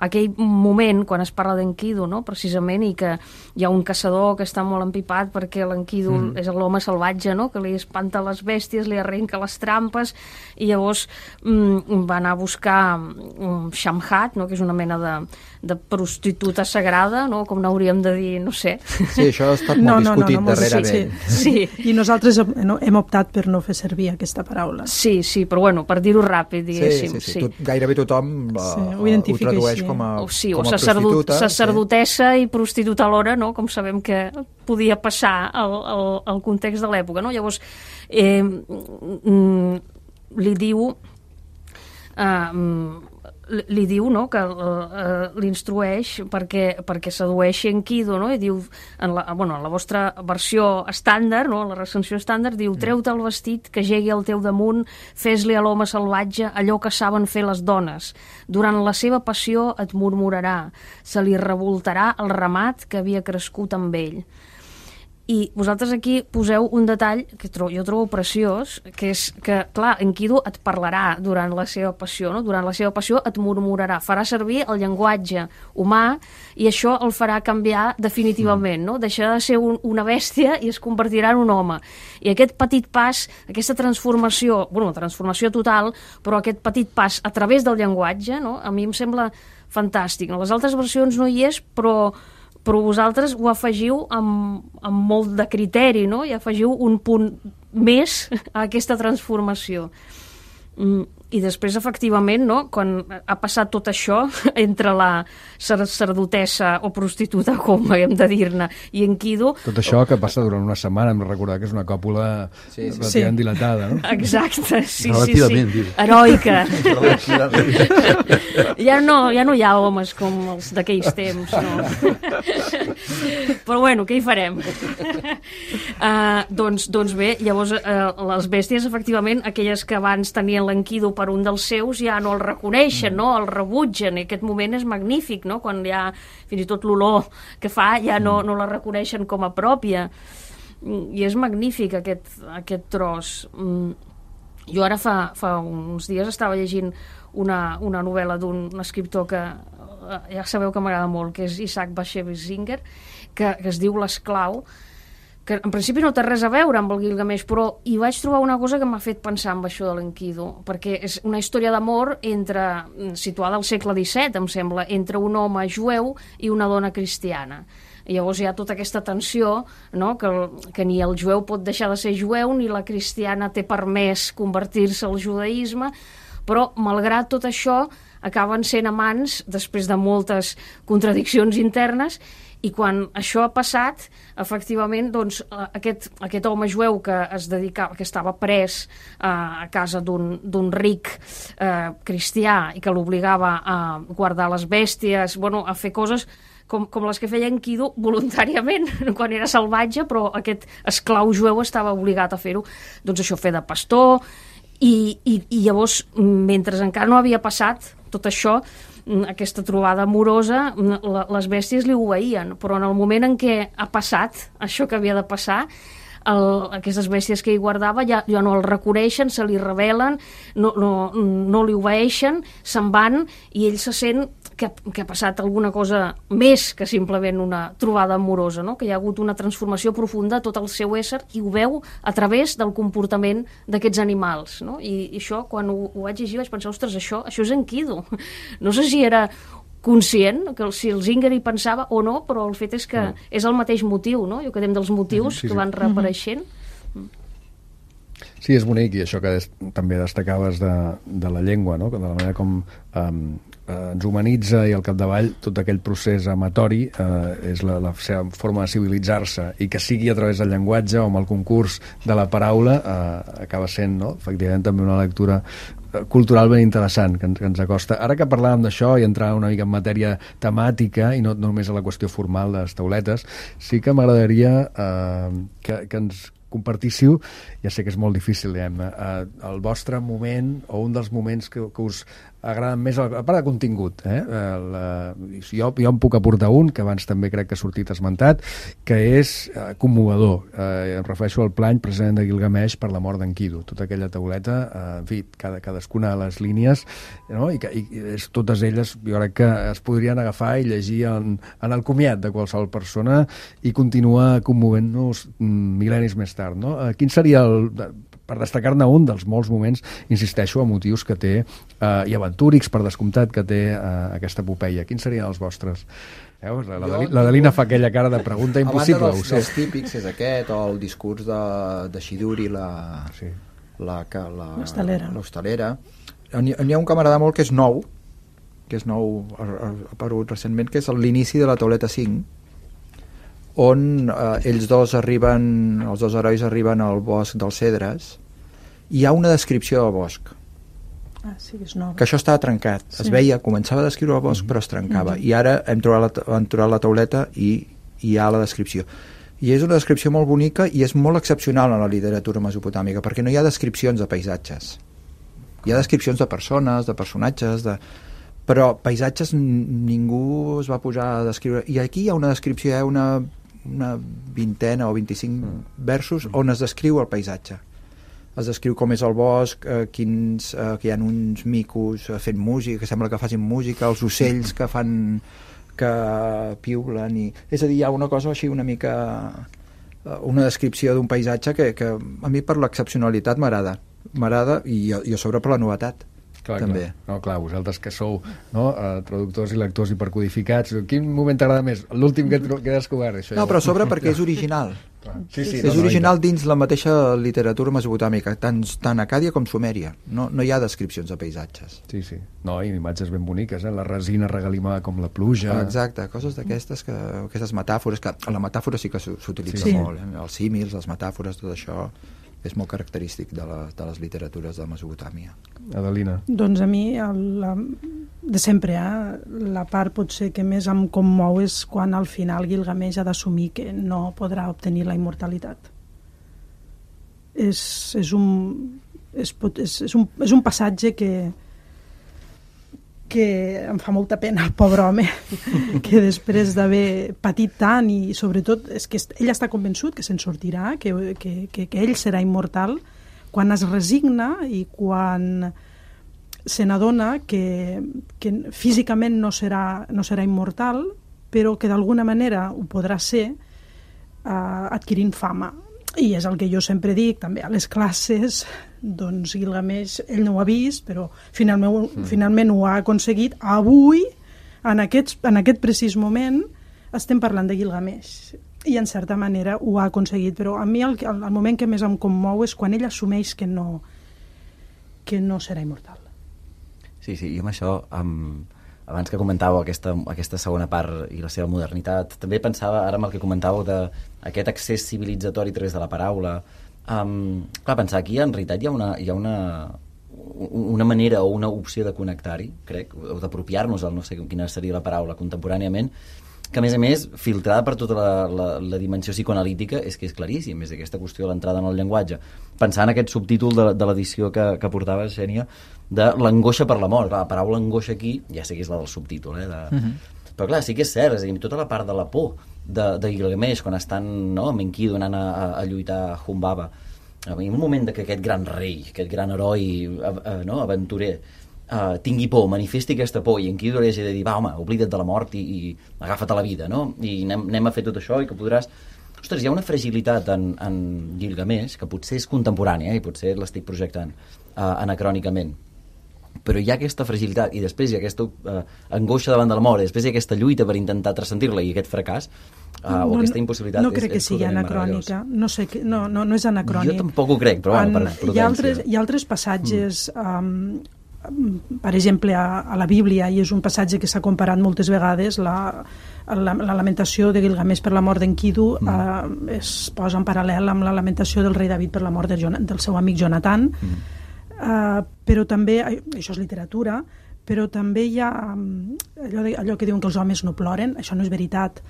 Aquell moment quan es parla d'Enkidu, no? Precisament, i que hi ha un caçador que està molt empipat perquè l'Enkidu mm. és l'home salvatge, no? Que li espanta les bèsties, li arrenca les trampes, i llavors mm, va anar a buscar um, Shamhat, no? Que és una mena de, de prostituta sagrada, no? Com n'hauríem de dir, no sé. Sí, això ha estat molt no, no, discutit no, no, darrerament. Sí, sí. sí. I nosaltres hem, hem optat per no fer servir aquesta paraula. Sí, sí, però bueno, per dir-ho ràpid, diguéssim. Sí, sí, sí. sí. Tot, gairebé tothom uh, sí, ho, ho tradueix així. Com a, o sí, com o a sacerdot, prostituta. Sacerdotessa sí. I prostituta alhora, no? Com sabem que podia passar al, al, al context de l'època, no? Llavors, eh, mm, li diu... Eh, li diu, no?, que uh, l'instrueix perquè, perquè sedueixi Enkidu, no?, i diu, en la, bueno, en la vostra versió estàndard, no?, en la recensió estàndard, diu, treu-te el vestit, que jegui al teu damunt, fes-li a l'home salvatge allò que saben fer les dones. Durant la seva passió et murmurarà, se li revoltarà el ramat que havia crescut amb ell. I vosaltres aquí poseu un detall que trobo, jo trobo preciós, que és que, clar, Enkidu et parlarà durant la seva passió, no? Durant la seva passió et murmurarà, farà servir el llenguatge humà i això el farà canviar definitivament, no? Deixarà de ser un, una bèstia i es convertirà en un home. I aquest petit pas, aquesta transformació, bueno, transformació total, però aquest petit pas a través del llenguatge, no? A mi em sembla fantàstic. En les altres versions no hi és, però, però vosaltres ho afegiu amb, amb molt de criteri, no? I afegiu un punt més a aquesta transformació. Mm. I després, efectivament, no, quan ha passat tot això entre la sacerdotessa o prostituta, com hem de dir-ne, i en Quido... Tot això que passa durant una setmana, hem de recordar que és una còpula sí, sí. relativament sí. dilatada, no? Exacte, sí, relativament, sí, sí. Heroica. ja, no, ja no hi ha homes com els d'aquells temps, no? Però bueno, què hi farem? uh, doncs, doncs bé, llavors uh, les bèsties, efectivament, aquelles que abans tenien l'enquido per un dels seus, ja no el reconeixen, no? El rebutgen, i aquest moment és magnífic, no? Quan ja fins i tot l'olor que fa ja no, no la reconeixen com a pròpia, i és magnífic aquest, aquest tros. Jo ara fa, fa uns dies estava llegint una, una novel·la d'un escriptor que ja sabeu que m'agrada molt, que és Isaac Bashevis Singer, que, que es diu L'esclau, que en principi no té res a veure amb el Gilgamesh, però hi vaig trobar una cosa que m'ha fet pensar en això de l'enquido, perquè és una història d'amor entre, situada al segle disset, em sembla, entre un home jueu i una dona cristiana. I llavors hi ha tota aquesta tensió, no? que, que ni el jueu pot deixar de ser jueu, ni la cristiana té permès convertir-se al judaïsme, però malgrat tot això acaben sent amants després de moltes contradiccions internes. I quan això ha passat, efectivament, doncs, aquest, aquest home jueu que es dedicava, que estava pres eh, a casa d'un ric eh, cristià i que l'obligava a guardar les bèsties, bueno, a fer coses com, com les que feia Enkidu voluntàriament, quan era salvatge, però aquest esclau jueu estava obligat a fer-ho. Doncs això, fer de pastor, i, i, i llavors, mentre encara no havia passat tot això, aquesta trobada amorosa, les bèsties li obeïen, però en el moment en què ha passat això que havia de passar, el, aquestes bèsties que hi guardava ja, ja no el reconeixen, se li rebel·len, no, no, no li obeeixen, se'n van, i ell se sent que, que ha passat alguna cosa més que simplement una trobada amorosa, no? Que hi ha hagut una transformació profunda a tot el seu ésser, i ho veu a través del comportament d'aquests animals, no? I, i això, quan ho, ho vaig llegir, vaig pensar, ostres, això, això és Enkidu. No sé si era conscient, que si el Singer hi pensava o no, però el fet és que no. És el mateix motiu, no? Jo que dèiem dels motius sí, sí. que van reapareixent. Sí, és bonic, i això que des, també destacaves de, de la llengua, no? De la manera com um, ens humanitza, i al capdavall tot aquell procés amatori eh, és la, la seva forma de civilitzar-se, i que sigui a través del llenguatge o amb el concurs de la paraula eh, acaba sent, no? Efectivament, també una lectura cultural ben interessant que ens, que ens acosta. Ara que parlàvem d'això i entrar una mica en matèria temàtica i no, no només a la qüestió formal de les tauletes, sí que m'agradaria eh, que, que ens compartíssiu, ja sé que és molt difícil, diguem-ne, eh, el vostre moment o un dels moments que, que us agraden més, a part de contingut, eh? El, eh, jo, jo em puc aportar un, que abans també crec que ha sortit esmentat, que és eh, commovedor. Eh, em refereixo al plany precisament de Gilgamesh per la mort d'Enkidu. Tota aquella tauleta, eh, en fi, cada, cadascuna de les línies, no? I, que, i és, totes elles, jo crec que es podrien agafar i llegir en, en el comiat de qualsevol persona i continuar commovent-nos mil·lennis més tard, no? Eh, quin seria el... per destacar-ne un dels molts moments, insisteixo, emotius que té, eh, i aventúrics, per descomptat, que té eh, aquesta epopeia. Quins serien els vostres? Veus? La, la, la Dalina fa aquella cara de pregunta impossible. A banda dels, dels típics és aquest, o el discurs de, de Shiduri, la... Sí. la, la l'hostalera. N'hi ha un que m'agrada molt, que és nou, que és nou, ha aparegut recentment, que és l'inici de la tauleta cinc, on eh, ells dos arriben, els dos herois arriben al bosc dels cedres, i hi ha una descripció del bosc. Ah, sí, és nova. Que això estava trencat. Sí. Es veia, començava a descriure el bosc, però es trencava. Mm-hmm. I ara hem trobat la, hem trobat la tauleta i hi ha la descripció. I és una descripció molt bonica i és molt excepcional en la literatura mesopotàmica, perquè no hi ha descripcions de paisatges. Hi ha descripcions de persones, de personatges, de... però paisatges ningú es va posar a descriure. I aquí hi ha una descripció, hi ha una, una vintena o vint-i-cinc mm. versos on es descriu el paisatge. Es descriu com és el bosc, eh, quins, eh, que hi ha uns micos eh, fent música, que sembla que facin música, els ocells que fan... que piulen, i... és a dir, hi ha una cosa així una mica... una descripció d'un paisatge que, que a mi per l'excepcionalitat m'agrada. M'agrada, i, i a sobre per la novetat. Clar, també. Clar. No, clar, vosaltres que sou no, uh, traductors i lectors hipercodificats, quin moment t'agrada més? L'últim que, que he descobert? Això no, ja... però a sobre perquè és original. Sí, sí, és no, original no, dins la mateixa literatura mesopotàmica, tant, tant Acàdia com Sumèria. No, no hi ha descripcions de paisatges. Sí, sí. No, i imatges ben boniques, eh? La resina regalimada com la pluja... Ah, exacte, coses d'aquestes, que, aquestes metàfores, que la metàfora sí que s'utilitza sí. molt, eh? Els símils, les metàfores, tot això és molt característic de, la, de les literatures de Mesopotàmia. Adelina. Doncs a mi, el, la, de sempre, eh, la part potser que més em commou és quan al final Gilgamesh ha d'assumir que no podrà obtenir la immortalitat. És, és, un, és, és, és, un, és un passatge que que em fa molta pena el pobre home, que després d'haver patit tant i sobretot és que ell està convençut que se'n sortirà, que, que, que, que ell serà immortal, quan es resigna i quan se n'adona que, que físicament no serà, no serà immortal, però que d'alguna manera ho podrà ser eh, adquirint fama. I és el que jo sempre dic també a les classes, doncs Gilgamesh ell no ho ha vist, però finalment, mm. finalment ho ha aconseguit. Avui, en aquest, en aquest precís moment, estem parlant de Gilgamesh i en certa manera ho ha aconseguit, però a mi el, el, el moment que més em commou és quan ell assumeix que no, que no serà immortal. Sí, sí, i amb això, um, abans que comentàveu aquesta, aquesta segona part i la seva modernitat, també pensava, ara amb el que comentàveu d'aquest accés civilitzatori a través de la paraula, um, clar, pensar aquí en realitat hi ha una, hi ha una, una manera o una opció de connectar-hi, crec, o d'apropiar-nos, no sé quina seria la paraula, contemporàniament, que a més a més, filtrada per tota la, la, la dimensió psicoanalítica, és que és claríssim, és aquesta qüestió de l'entrada en el llenguatge. Pensar en aquest subtítol de, de l'edició que, que portava Xènia, de l'angoixa per la mort. Clar, la paraula angoixa aquí, ja sé que és la del subtítol, eh? De... Uh-huh. Però clar, sí que és cert, és a dir, tota la part de la por de, de Gilgamesh, quan estan no, amb Enkidu anant a, a, a lluitar a Humbaba, en un moment de que aquest gran rei, aquest gran heroi a, a, no, aventurer, Uh, tingui por, manifesti aquesta por i en qui hagi de dir, va home, oblida't de la mort i, i agafa't a la vida, no? I anem, anem a fer tot això i que podràs... Ostres, hi ha una fragilitat en, en Gilgamesh que potser és contemporània eh? I potser l'estic projectant uh, anacrònicament, però hi ha aquesta fragilitat i després hi ha aquesta uh, angoixa davant de la mort i després hi ha aquesta lluita per intentar transcendir-la i aquest fracàs uh, no, o aquesta impossibilitat no crec és, que sigui anacrònica, no, sé, no, no, no és anacrònic. Jo tampoc ho crec, però bueno, per prudència. Hi ha altres, hi ha altres passatges mm. um, per exemple a, a la Bíblia, i és un passatge que s'ha comparat moltes vegades, la, la, la lamentació de Gilgamesh per la mort d'Enkidu mm. eh, es posa en paral·lel amb la lamentació del rei David per la mort de Jon, del seu amic Jonatan, mm. eh, però també, això és literatura, però també hi ha allò, de, allò que diuen que els homes no ploren, això no és veritat.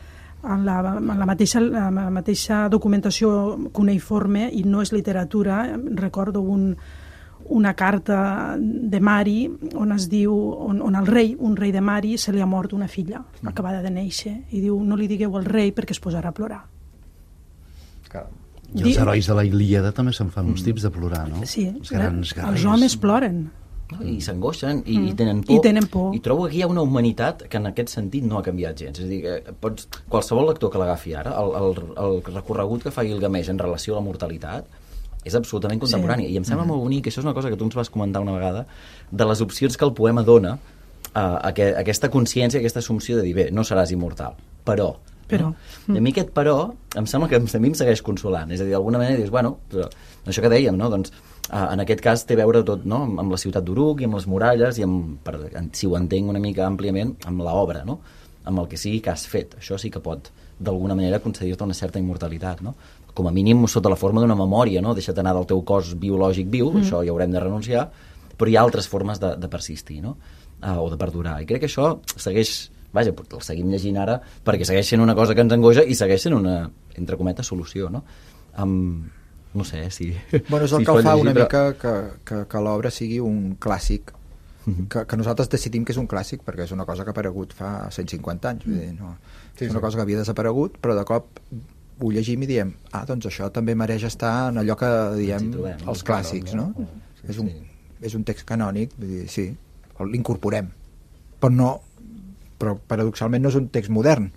En la, en la, mateixa, en la mateixa documentació cuneïforme, i no és literatura, recordo un una carta de Mari on es diu, on, on el rei, un rei de Mari, se li ha mort una filla mm. acabada de néixer, i diu, no li digueu al rei perquè es posarà a plorar. Caram. I els herois de la Ilíada també se'n fan uns tips de plorar, no? Sí, els grans guerrers. Els homes ploren. I s'angoixen i, mm. i tenen por. I tenen por. I trobo que aquí hi ha una humanitat que en aquest sentit no ha canviat gens. És a dir, que pots, qualsevol lector que l'agafi ara, el, el, el recorregut que fa Gilgamesh en relació a la mortalitat és absolutament contemporani. Sí. I em sembla mm. molt bonic, això és una cosa que tu ens vas comentar una vegada, de les opcions que el poema dona a, a, que, a aquesta consciència, a aquesta assumpció de dir, bé, no seràs immortal, però... però. No? Mm. I a mi aquest però em sembla que a mi em segueix consolant. És a dir, d'alguna manera dius, bueno, però, això que dèiem, no? Doncs, uh, en aquest cas té a veure tot, no? Amb la ciutat d'Uruk i amb les muralles i amb, per, si ho entenc una mica àmpliament, amb l'obra, no? Amb el que sigui que has fet. Això sí que pot, d'alguna manera, concedir-te una certa immortalitat, no? Com a mínim sota la forma d'una memòria, no? Deixa't anar del teu cos biològic viu, mm. això hi haurem de renunciar, però hi ha altres formes de, de persistir, no? Uh, o de perdurar. I crec que això segueix, vaja, el seguim llegint ara perquè segueix sent una cosa que ens angoixa i segueix sent una, entre cometes, solució, no? Um, no sé, si... Bueno, és el si que el fa llegir, una però... mica que, que, que l'obra sigui un clàssic, uh-huh. que, que nosaltres decidim que és un clàssic perquè és una cosa que ha aparegut fa cent cinquanta anys, vull dir, no? Sí, és una sí. cosa que havia desaparegut, però de cop ho llegim i diem, ah, doncs això també mereix estar en allò que diem trobem, els clàssics, no? no? Sí, és, un, és un text canònic, vull dir, sí, l'incorporem, però no, però paradoxalment no és un text modern,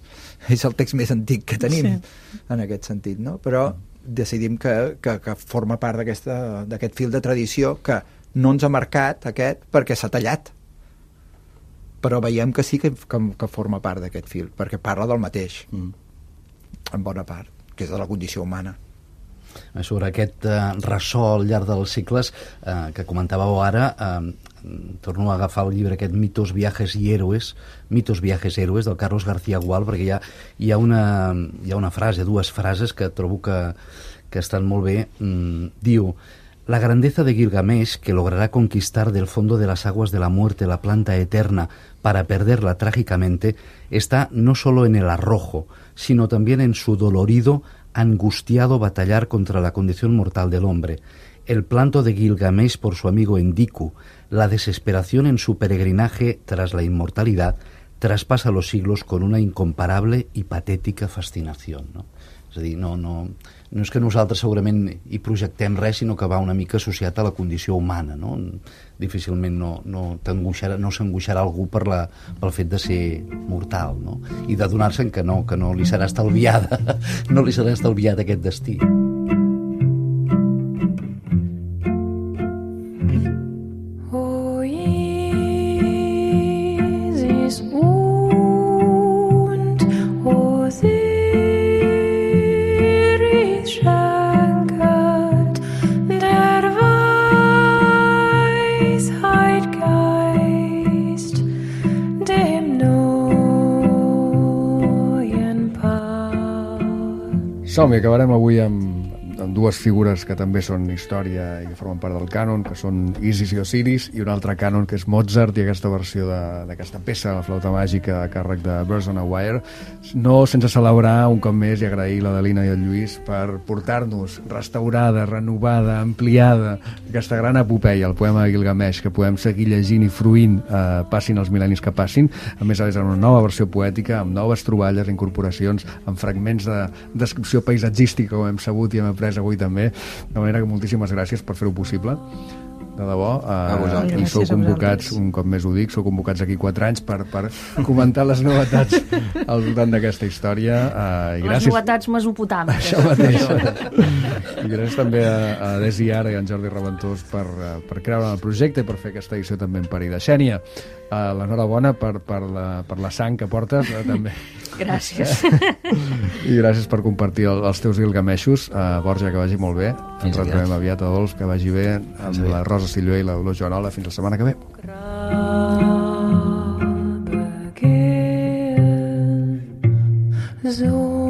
és el text més antic que tenim, sí. en aquest sentit, no? Però decidim que, que, que forma part d'aquest fil de tradició que no ens ha marcat aquest perquè s'ha tallat, però veiem que sí que, que, que forma part d'aquest fil, perquè parla del mateix, mm. en bona part, que és de la condició humana. Sobre aquest eh, ressò al llarg dels segles eh, que comentàveu ara, eh, torno a agafar el llibre aquest Mitos, Viajes y Héroes, Mitos, Viajes, Héroes, del Carlos García Gual, perquè hi ha, hi ha, una, hi ha una frase, dues frases que trobo que, que estan molt bé. Mm, diu: la grandeza de Gilgamesh, que logrará conquistar del fondo de las aguas de la muerte la planta eterna para perderla trágicamente, está no solo en el arrojo, sino también en su dolorido, angustiado batallar contra la condición mortal del hombre. El planto de Gilgamesh por su amigo Enkidu, la desesperación en su peregrinaje tras la inmortalidad, traspasa los siglos con una incomparable y patética fascinación, no? És a dir, no, no, no és que nosaltres segurament hi projectem res, sinó que va una mica associat a la condició humana, no? Difícilment no, no, t'angoixarà, no s'angoixarà algú per la, pel fet de ser mortal, no? I de donar-se'n que no, que no li serà estalviada, no li serà estalviat aquest destí. Som-hi, acabarem avui amb, amb dues figures que també són història i que formen part del cànon, que són Isis i Osiris, i un altre cànon que és Mozart i aquesta versió d'aquesta peça, la flauta màgica a càrrec de Birds on a Wire. No sense celebrar un cop més i agrair l'Adelina i el Lluís per portar-nos restaurada, renovada, ampliada aquesta gran epopeia, el poema de Gilgamesh, que podem seguir llegint i fruint, eh, passin els mil·lennis que passin, a més a més en una nova versió poètica, amb noves troballes, incorporacions, amb fragments de descripció paisatgística, com hem sabut i hem après avui també, de manera que moltíssimes gràcies per fer-ho possible, de debò, eh, i sou convocats, un cop més ho dic, sou convocats aquí quatre anys per, per comentar les novetats al voltant d'aquesta història, eh, i gràcies... Les novetats mesopotàmiques. Això mateix. I gràcies també a, a Desi Ara i a en Jordi Reventós per, per creure en el projecte i per fer aquesta edició també en Parida. Xènia, eh, l'enhorabona per, per, la, per la sang que portes, eh, també. Gràcies. I gràcies per compartir el, els teus Gilgameshos. Uh, Borja, que vagi molt bé. Ens retrobem aviat. A Dols, que vagi bé. Amb la Rosa Sillué i la Dolors Joanola. Fins la setmana que ve. Zo